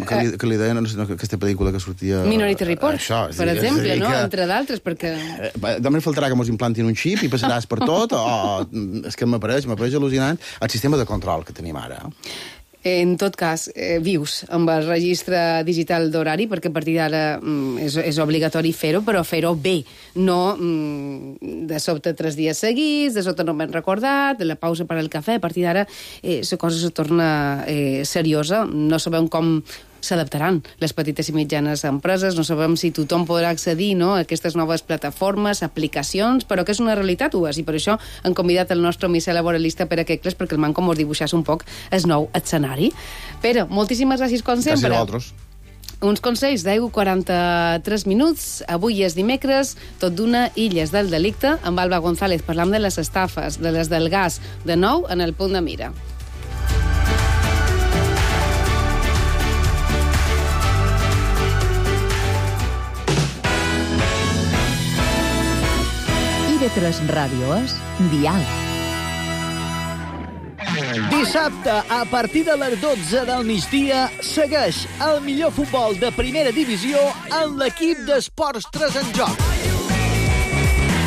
Que li deien aquesta pel·lícula que sortia... Minority Report, això, per exemple, no? Entre d'altres, perquè... Només faltarà que mos implantin un xip i passaràs per tot, o és que m'apareix al·lucinant el sistema de control que tenim ara. En tot cas, vius amb el registre digital d'horari, perquè a partir d'ara és obligatori fer-ho, però fer-ho bé, no de sobte 3 dies seguits, de sobte no m'he recordat, de la pausa per al cafè, a partir d'ara la cosa se torna seriosa, no sabem com s'adaptaran les petites i mitjanes empreses, no sabem si tothom podrà accedir, no, a aquestes noves plataformes, aplicacions, però que és una realitat, i per això han convidat el nostre missal laboralista Pere Quecles perquè el Manco mos dibuixés un poc el nou escenari. Pere, moltíssimes gràcies com sempre. Gràcies a vosaltres. Uns consells d'43 minuts. Avui és dimecres, tot d'una Illes del Delicte. Amb Alba González parlam de les estafes, de les del gas, de nou en el punt de mira. IB3 Ràdio és Dial. Dissabte, a partir de les 12 del migdia, segueix el millor futbol de primera divisió amb l'equip d'Esports 3 en joc.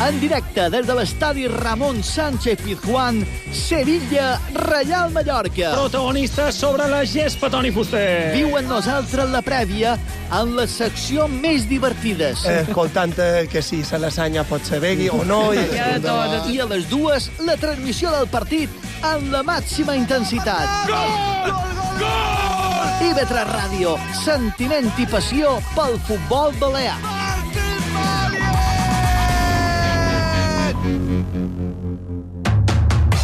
En directe des de l'estadi Ramon Sánchez Pizjuán, Sevilla, Reial Mallorca. Protagonista sobre la gespa, Toni Fuster. Viu amb nosaltres la prèvia en la secció més divertides. Escoltant que si se l'asanya pot ser begui o no. I a les 2, la transmissió del partit amb la màxima intensitat. Gol! Gol! IB3 Ràdio, sentiment i passió pel futbol balear.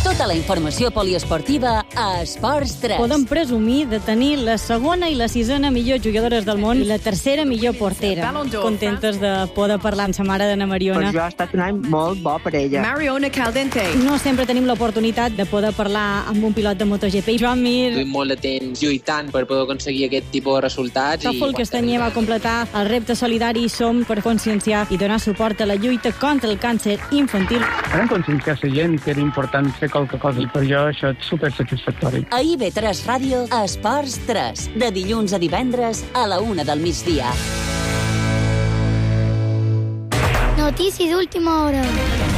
Tota la informació poliesportiva a Esports 3. Podem presumir de tenir la segona i la sisena millor jugadores del món i la tercera millor portera. Contentes de poder parlar amb sa mare d'Anna Mariona. Per jo ha estat un any molt bo per ella. Mariona Caldente. No sempre tenim l'oportunitat de poder parlar amb un pilot de MotoGP. Joan Mir. Estic molt de temps lluitant per poder aconseguir aquest tipus de resultats. Tòfol Castanyer va completar el repte solidari Som per conscienciar i donar suport a la lluita contra el càncer infantil. Vam conscienciar la gent que era important fer qualque cosa i per jo això és supersatisfactori. A IB3 Ràdio, Esports 3, de dilluns a divendres a la 1 del migdia. Notícies d'última hora.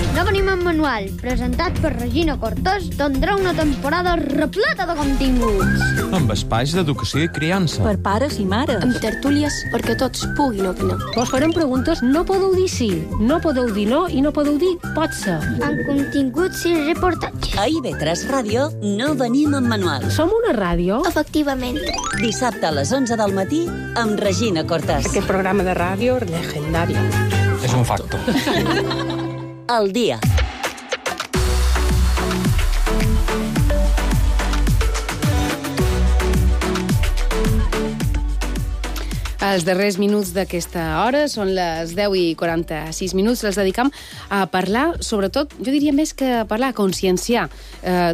Revenim en manual, presentat per Regina Cortés, tindrà una temporada repleta de continguts. Amb espais d'educació i criança. Per pares i mares. Amb tertúlies perquè tots puguin opinar. Vos farem preguntes, no podeu dir sí, no podeu dir no i no podeu dir pot ser. Amb continguts i reportatges. A IB3 Ràdio no venim en manual. Som una ràdio? Efectivament. Dissabte a les 11 del matí amb Regina Cortés. Aquest programa de ràdio legendari. És un facto. El dia. Els darrers minuts d'aquesta hora són les 10:46 minuts. Les dedicam a parlar, sobretot, jo diria més que parlar, a conscienciar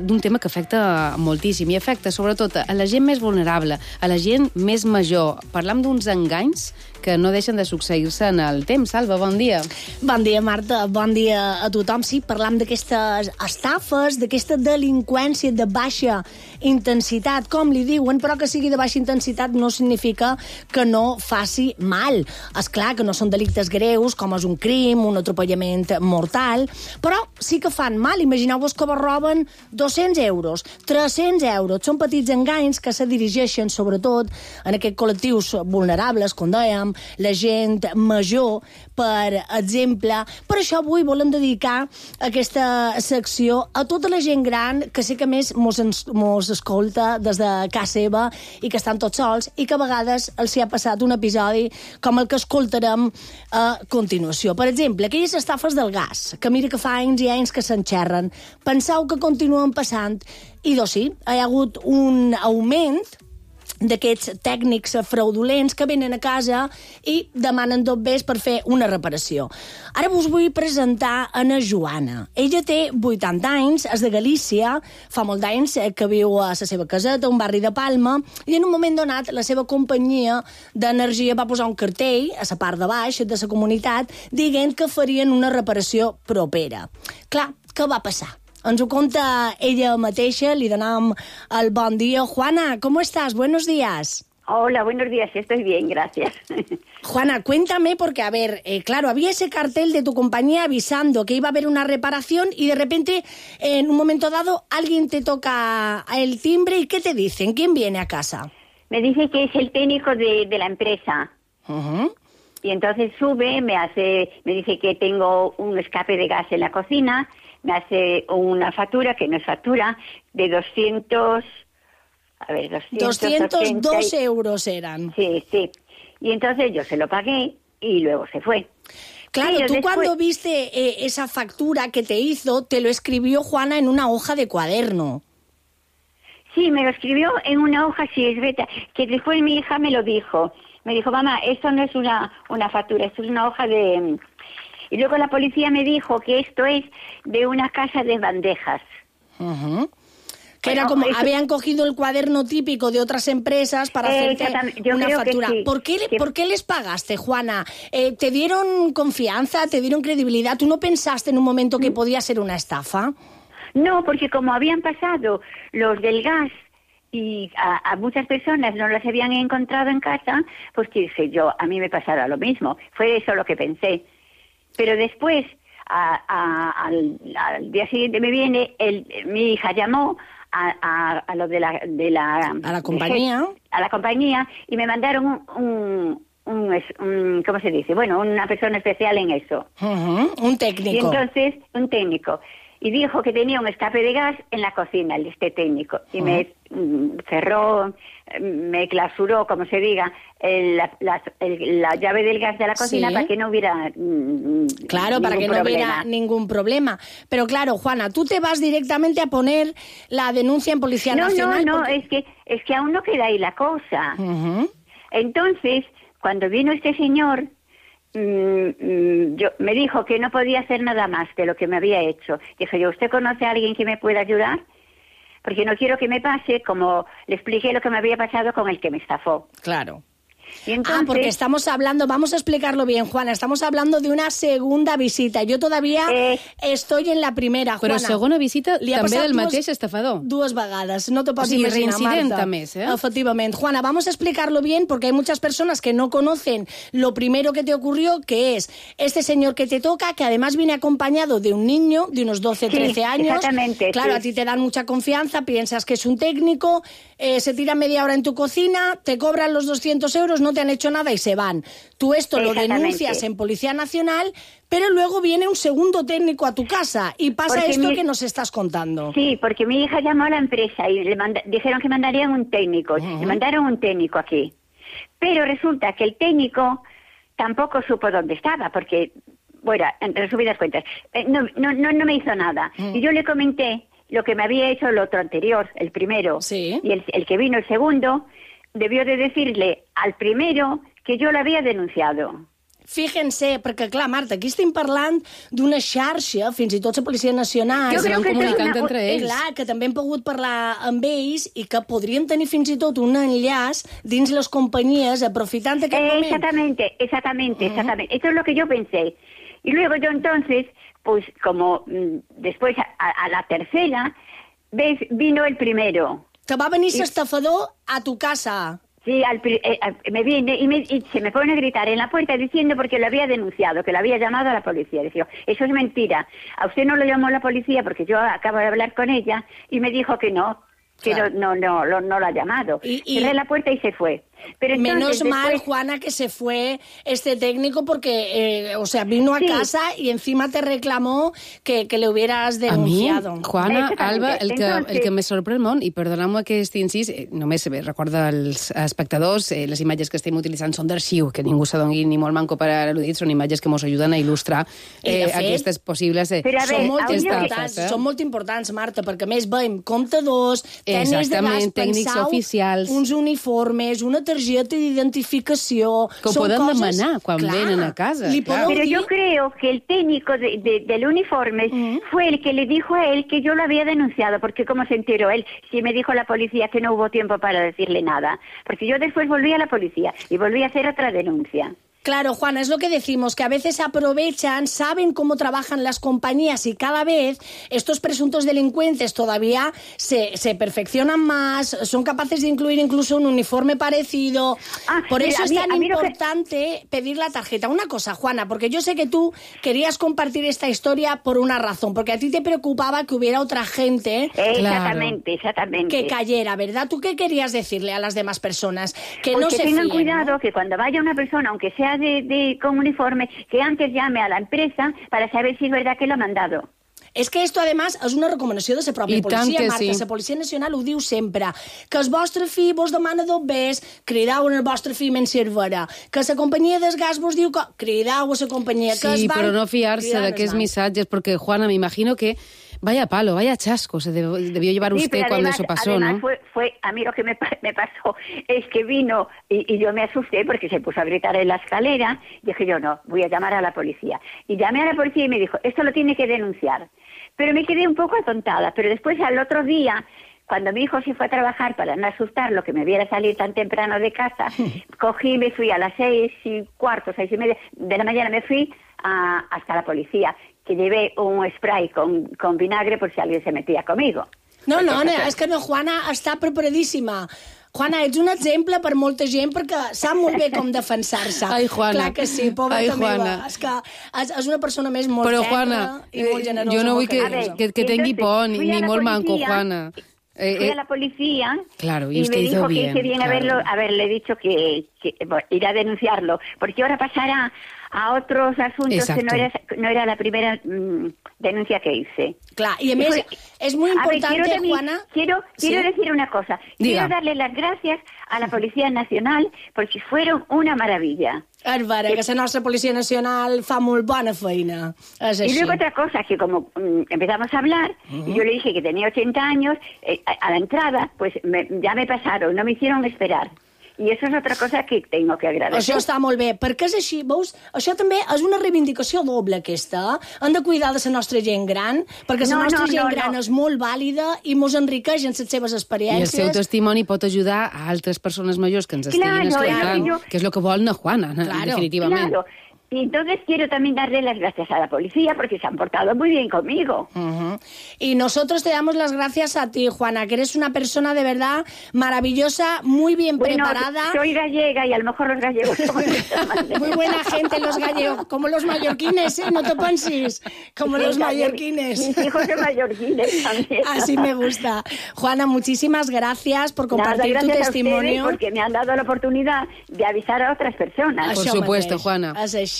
d'un tema que afecta moltíssim i afecta sobretot a la gent més vulnerable, a la gent més major. Parlam d'uns enganys que no deixen de succeir-se en el temps. Salva, bon dia. Bon dia, Marta. Bon dia a tothom. Sí, parlam d'aquestes estafes, d'aquesta delinqüència de baixa intensitat, com li diuen, però que sigui de baixa intensitat no significa que no faci mal. És clar que no són delictes greus, com és un crim, un atropellament mortal, però sí que fan mal. Imagineu-vos que vos roben 200 euros, 300 euros. Són petits enganys que se dirigeixen sobretot en aquests col·lectius vulnerables, com dèiem, la gent major, per exemple. Per això avui volem dedicar aquesta secció a tota la gent gran que sé que més mos escolta des de casa seva i que estan tots sols i que a vegades els hi ha passat un episodi com el que escoltarem a continuació. Per exemple, aquelles estafes del gas, que mira que fa anys i anys que s'enxerren. Penseu que continuen passant i, doncs sí, hi ha hagut un augment d'aquests tècnics fraudulents que venen a casa i demanen dobbers per fer una reparació. Ara us vull presentar a na Joana. Ella té 80 anys, és de Galícia, fa molt d'anys que viu a la seva caseta, un barri de Palma, i en un moment donat la seva companyia d'energia va posar un cartell a la part de baix de la comunitat dient que farien una reparació propera. Clar, què va passar? Ens ho conta ella mateixa, li donem el bon dia. Juana, ¿cómo estás? Buenos días. Hola, buenos días, estoy bien, gracias. Juana, cuéntame, porque, a ver, claro, había ese cartel de tu compañía avisando que iba a haber una reparación y de repente, en un momento dado, alguien te toca el timbre y ¿qué te dicen? ¿Quién viene a casa? Me dice que es el técnico de la empresa. Y entonces sube, me dice que tengo un escape de gas en la cocina, me hace una factura, que no es factura, de 202 euros eran. Sí. Y entonces yo se lo pagué y luego se fue. Claro, pero tú después, cuando viste esa factura que te hizo, te lo escribió Juana en una hoja de cuaderno. Sí, me lo escribió en una hoja, sí, es verdad, que después mi hija me lo dijo. Me dijo, mamá, esto no es una factura, esto es una hoja de... Y luego la policía me dijo que esto es de una casa de bandejas. Que era como, habían cogido el cuaderno típico de otras empresas para hacerte una factura. Sí. ¿Por qué les pagaste, Juana? ¿Te dieron confianza, te dieron credibilidad? ¿Tú no pensaste en un momento que podía ser una estafa? No, porque como habían pasado los del gas y a muchas personas no las habían encontrado en casa, pues dije yo, a mí me pasará lo mismo. Fue eso lo que pensé. Pero después, al día siguiente me viene, mi hija llamó a lo de la a la compañía. A la compañía y me mandaron un ¿cómo se dice? Bueno, una persona especial en eso. Un técnico. Y entonces, un técnico. Y dijo que tenía un escape de gas en la cocina, este técnico. Y me cerró, me clausuró, como se diga, la llave del gas de la cocina para que no hubiera claro, para que no hubiera ningún problema. Pero claro, Juana, tú te vas directamente a poner la denuncia en Policía Nacional. No, es que aún no queda ahí la cosa. Entonces, cuando vino este señor... me dijo que no podía hacer nada más de lo que me había hecho. Dije yo, ¿usted conoce a alguien que me pueda ayudar? Porque no quiero que me pase como le expliqué lo que me había pasado con el que me estafó. Claro. Y entonces... porque estamos hablando, vamos a explicarlo bien, Juana, estamos hablando de una segunda visita. Jo todavía estoy en la primera, Juana. Però segona visita també del mateix estafador. Dues vegades, no te pots imaginar, reincident Marta. Més, Efectivamente. Juana, vamos a explicarlo bien porque hay muchas personas que no conocen lo primero que te ocurrió, que es este señor que te toca, que además viene acompañado de un niño de unos 12, 13 años. Exactamente. Claro, a ti te dan mucha confianza, piensas que es un técnico, se tira media hora en tu cocina, te cobran los 200 euros, no te han hecho nada y se van. Tú esto lo denuncias en Policía Nacional, pero luego viene un segundo técnico a tu casa y pasa porque esto que nos estás contando. Sí, porque mi hija llamó a la empresa y dijeron que mandarían un técnico. Le mandaron un técnico aquí. Pero resulta que el técnico tampoco supo dónde estaba, porque, bueno, en resumidas cuentas, no me hizo nada. Y yo le comenté lo que me había hecho el otro anterior, el primero. Sí. Y el que vino el segundo debió de decirle al primero que yo lo había denunciado. Fíjense, perquè, clar, Marta, aquí estem parlant d'una xarxa, fins i tot la Policia Nacional, jo crec que comunicant entre ells. Clar, que també hem pogut parlar amb ells i que podrien tenir fins i tot un enllaç dins les companyies, aprofitant aquest moment. Exactamente. Eso es lo que yo pensé. Y luego yo entonces, pues como después a la tercera, ¿ves? Vino el primero. Te va venir l'estafador a tu casa. Sí, me viene y se me pone a gritar en la puerta diciendo porque lo había denunciado, que lo había llamado a la policía. Decía, eso es mentira. A usted no lo llamó la policía porque yo acabo de hablar con ella y me dijo que no, que claro. no lo ha llamado. Cerré la puerta y se fue. Pero entonces, menos mal, después... Juana, que se fue este técnico porque, vino a casa y encima te reclamó que le hubieras denunciado. A mi, Juana, Alba, el que me sorprèn molt, i perdoneu-me aquest incís, només recorda als espectadors, les imatges que estem utilitzant són d'arxiu, que ningú s'adongui ni molt manco per al·ludit, són imatges que ens ajuden a il·lustrar aquestes possibles estafes. Són molt importants, Marta, perquè a més veiem comptadors, tècnics de gas, tècnics oficials, uns uniformes, una targeta d'identificació... Que ho poden demanar quan venen a casa. Pero yo creo que el técnico del uniforme fue el que le dijo a él que yo lo había denunciado, porque ¿cómo se enteró él? Si me dijo la policía que no hubo tiempo para decirle nada. Porque yo después volví a la policía y volví a hacer otra denuncia. Claro, Juana, es lo que decimos, que a veces aprovechan, saben cómo trabajan las compañías y cada vez estos presuntos delincuentes todavía se perfeccionan más, son capaces de incluir incluso un uniforme parecido. Por eso es tan importante pedir la tarjeta. Una cosa, Juana, porque yo sé que tú querías compartir esta historia por una razón, porque a ti te preocupaba que hubiera otra gente exactamente. que cayera, ¿verdad? ¿Tú qué querías decirle a las demás personas? Que pues no que se tengan fíen, cuidado, ¿no? Que cuando vaya una persona, aunque sea con uniforme, que antes llame a la empresa para saber si es verdad que lo ha mandado. És que esto, además, és una recomanació de la pròpia policia, Marta. La Policia Nacional ho diu sempre. Que el vostre fill vos demana bombers, cridau en el vostre fill menys servera. Que la companyia del gas vos diu que cridau a la companyia. Sí, però no fiar-se d'aquests missatges, perquè, Juana, me imagino que vaya palo, vaya chasco se debió llevar usted cuando eso pasó, ¿no? Fue a mí lo que me pasó es que vino y yo me asusté porque se puso a gritar en la escalera. Y dije yo, no, voy a llamar a la policía. Y llamé a la policía y me dijo, esto lo tiene que denunciar. Pero me quedé un poco atontada. Pero después, al otro día, cuando mi hijo se fue a trabajar para no asustarlo, que me viera salir tan temprano de casa, cogí y me fui a las 6:15, 6:30 de la mañana, me fui hasta la policía, que llevé un spray con vinagre por si alguien se metía conmigo. No, és que no, Juana està preparadíssima. Juana, ets un exemple per molta gent perquè sap molt bé com defensar-se. Ai, Juana. Clar que sí, pobreta meva. És que és una persona més molt ferma i molt generosa. Jo no vull que tingui por ni molt manco, Juana. Fui a la policía claro, y me usted dijo hizo que bien, hice bien haberle dicho que ir a denunciarlo, porque ahora pasará a otros asuntos. Exacto. Que no era la primera denuncia que hice. Claro, y a més, es muy importante, Juana... Quiero decir una cosa. Quiero darle las gracias a la Policía Nacional porque fueron una maravilla. És vera, que la nostra Policia Nacional fa molt bona feina. És així. Y luego otra cosa, que como empezamos a hablar, y yo le dije que tenía 80 años, a la entrada, pues ya me pasaron, no me hicieron esperar. I això és altra cosa que tengo que agradecer. Això està molt bé, perquè és així, veus? Això també és una reivindicació doble, aquesta. Hem de cuidar de la nostra gent gran, perquè la nostra gent gran és molt vàlida i mos enriqueix en les seves experiències. I el seu testimoni pot ajudar a altres persones majors que ens estiguin escoltant, que és el que vol na Juana, definitivament. Claro. Y entonces quiero también darle las gracias a la policía porque se han portado muy bien conmigo. Y nosotros te damos las gracias a ti, Juana, que eres una persona de verdad maravillosa, muy bien preparada. Soy gallega y a lo mejor los gallegos somos muy buena gente los gallegos, como los mallorquines, ¿eh? No te pensis, como los mallorquines. Mis hijos son mallorquines también. Así me gusta. Juana, muchísimas gracias por compartir tu testimonio. Porque me han dado la oportunidad de avisar a otras personas. Por supuesto, Juana.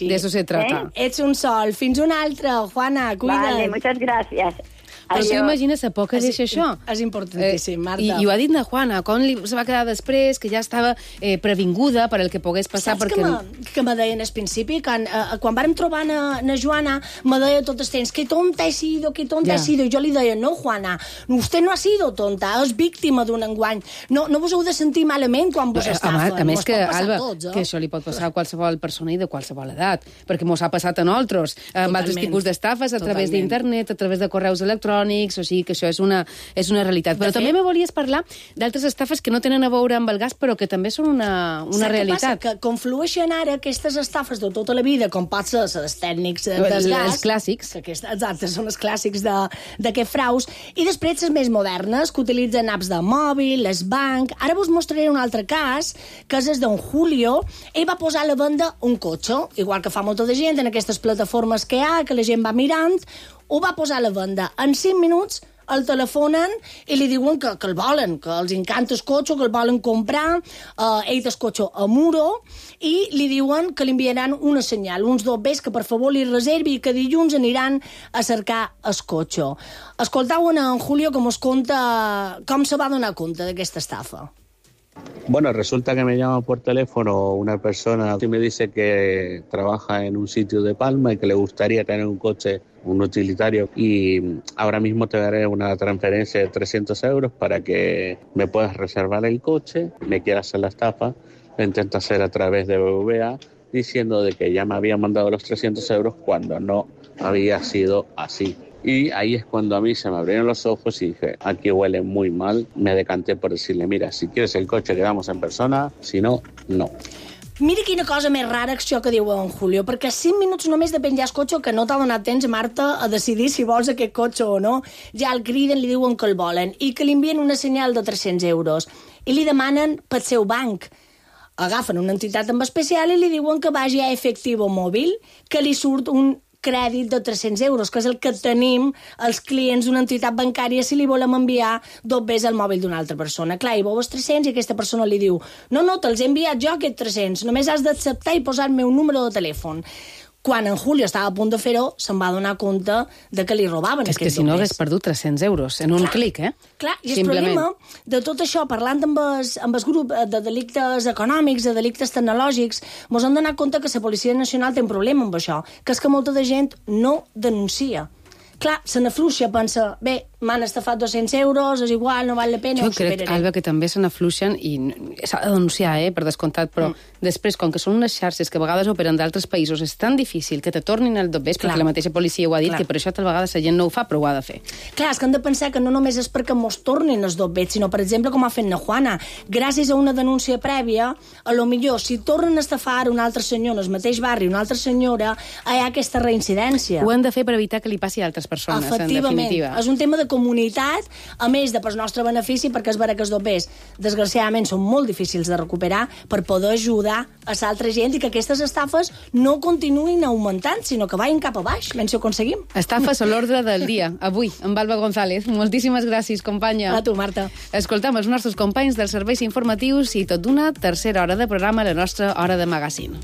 De eso se trata. Ets un sol. Fins una altra, Juana. Cuida't. Vale, muchas gracias. Però tu imagines a poc que deixa això. És importantíssim, Marta. I ho ha dit na Juana, com se va quedar després, que ja estava previnguda per el que pogués passar. Saps que me deien al principi? Quan vàrem trobar na Joana, me deia tot el temps, que tonta he sido, que tonta he sido. I jo li deia, no, Juana, usted no ha sido tonta, és víctima d'un engany. No vos heu de sentir malament quan vos estafen. A més que, Alba, que això li pot passar a qualsevol persona i de qualsevol edat, perquè mos ha passat a nosaltres, amb altres tipus d'estafes, a través d'internet, a través de correus electrònics, o sigui que això és una realitat. Però també me volies parlar d'altres estafes que no tenen a veure amb el gas, però que també són una realitat. Saps què passa? Que conflueixen ara aquestes estafes de tota la vida, com pot ser els tècnics del gas. Els clàssics. Exacte, són els clàssics d'aquest fraus. I després les més modernes, que utilitzen apps de mòbil, les banc. Ara vos mostraré un altre cas, que és el d'en Julio. Ell va posar a la venda un cotxe, igual que fa molta de gent en aquestes plataformes que hi ha, que la gent va mirant, ho va posar a la venda. En 5 minuts el telefonen i li diuen que el volen, que els encanta el cotxe, que el volen comprar, ell del cotxe a Muro, i li diuen que li enviaran una senyal, uns dobbers que per favor li reservi i que dilluns aniran a cercar el cotxe. Escoltau en Julio com es conta, com se va donar compte d'aquesta estafa. Bueno, resulta que me llama por teléfono una persona que me dice que trabaja en un sitio de Palma y que le gustaría tener un coche, un utilitario, y ahora mismo te daré una transferencia de 300 euros para que me puedas reservar el coche. Me quiere hacer la estafa, lo intenta hacer a través de BBVA, diciendo de que ya me había mandado los 300 euros cuando no había sido así. Y ahí es cuando a mí se me abrieron los ojos y dije, aquí huele muy mal. Me decanté por decirle, mira, si quieres el coche quedamos en persona, si no, no. Mira quina cosa més rara això que diu en Julio, perquè 5 minuts només de penjar el cotxe que no t'ha donat temps, Marta, a decidir si vols aquest cotxe o no. Ja el criden, li diuen que el volen i que li envien una senyal de 300 euros i li demanen pel seu banc. Agafen una entitat en especial i li diuen que vagi a Efectivo Mòbil, que li surt un crèdit de 300 euros, que és el que tenim els clients d'una entitat bancària si li volem enviar dobbers al mòbil d'una altra persona. Clar, hi veu els 300 i aquesta persona li diu no, te'ls he enviat jo aquests 300, només has d'acceptar i posar el meu número de telèfon. Quan en Julio estava a punt de fer-ho, se'n va donar compte de que li robaven aquests dobbers. És que si no hagués perdut 300 euros en un clic, eh? Clar, i el problema de tot això, parlant amb el grup de delictes econòmics, de delictes tecnològics, mos hem donat compte que la Policia Nacional té un problema amb això, que és que molta de gent no denuncia. Clar, se n'afluixa, pensa, bé, m'han estafat 200 euros, és igual, no val la pena, jo crec, Alba, que també se n'afluixen i s'ha de denunciar, per descomptat, però després, com que són unes xarxes que a vegades operen d'altres països, és tan difícil que te tornin el dobbers, perquè la mateixa policia ho ha dit, que per això tal vegada la gent no ho fa, però ho ha de fer. Clar, és que hem de pensar que no només és perquè mos tornin els dobbers, sinó, per exemple, com ha fet na Juana, gràcies a una denúncia prèvia, a lo millor, si tornen a estafar un altre senyor en el mateix barri, una altra senyora, hi ha aquesta reincidència. Ho hem de fer per evitar que li passi a altres persones, en definitiva. És un tema de comunitat, a més de pel nostre benefici, perquè és vera que els dobbers, desgraciadament, són molt difícils de recuperar per poder ajudar a l'altra gent i que aquestes estafes no continuïn augmentant, sinó que vagin cap a baix, menys si ho aconseguim. Estafes a l'ordre del dia, avui, amb Alba González. Moltíssimes gràcies, companya. A tu, Marta. Escoltam els nostres companys dels serveis informatius i tot d'una tercera hora de programa a la nostra hora de magazine.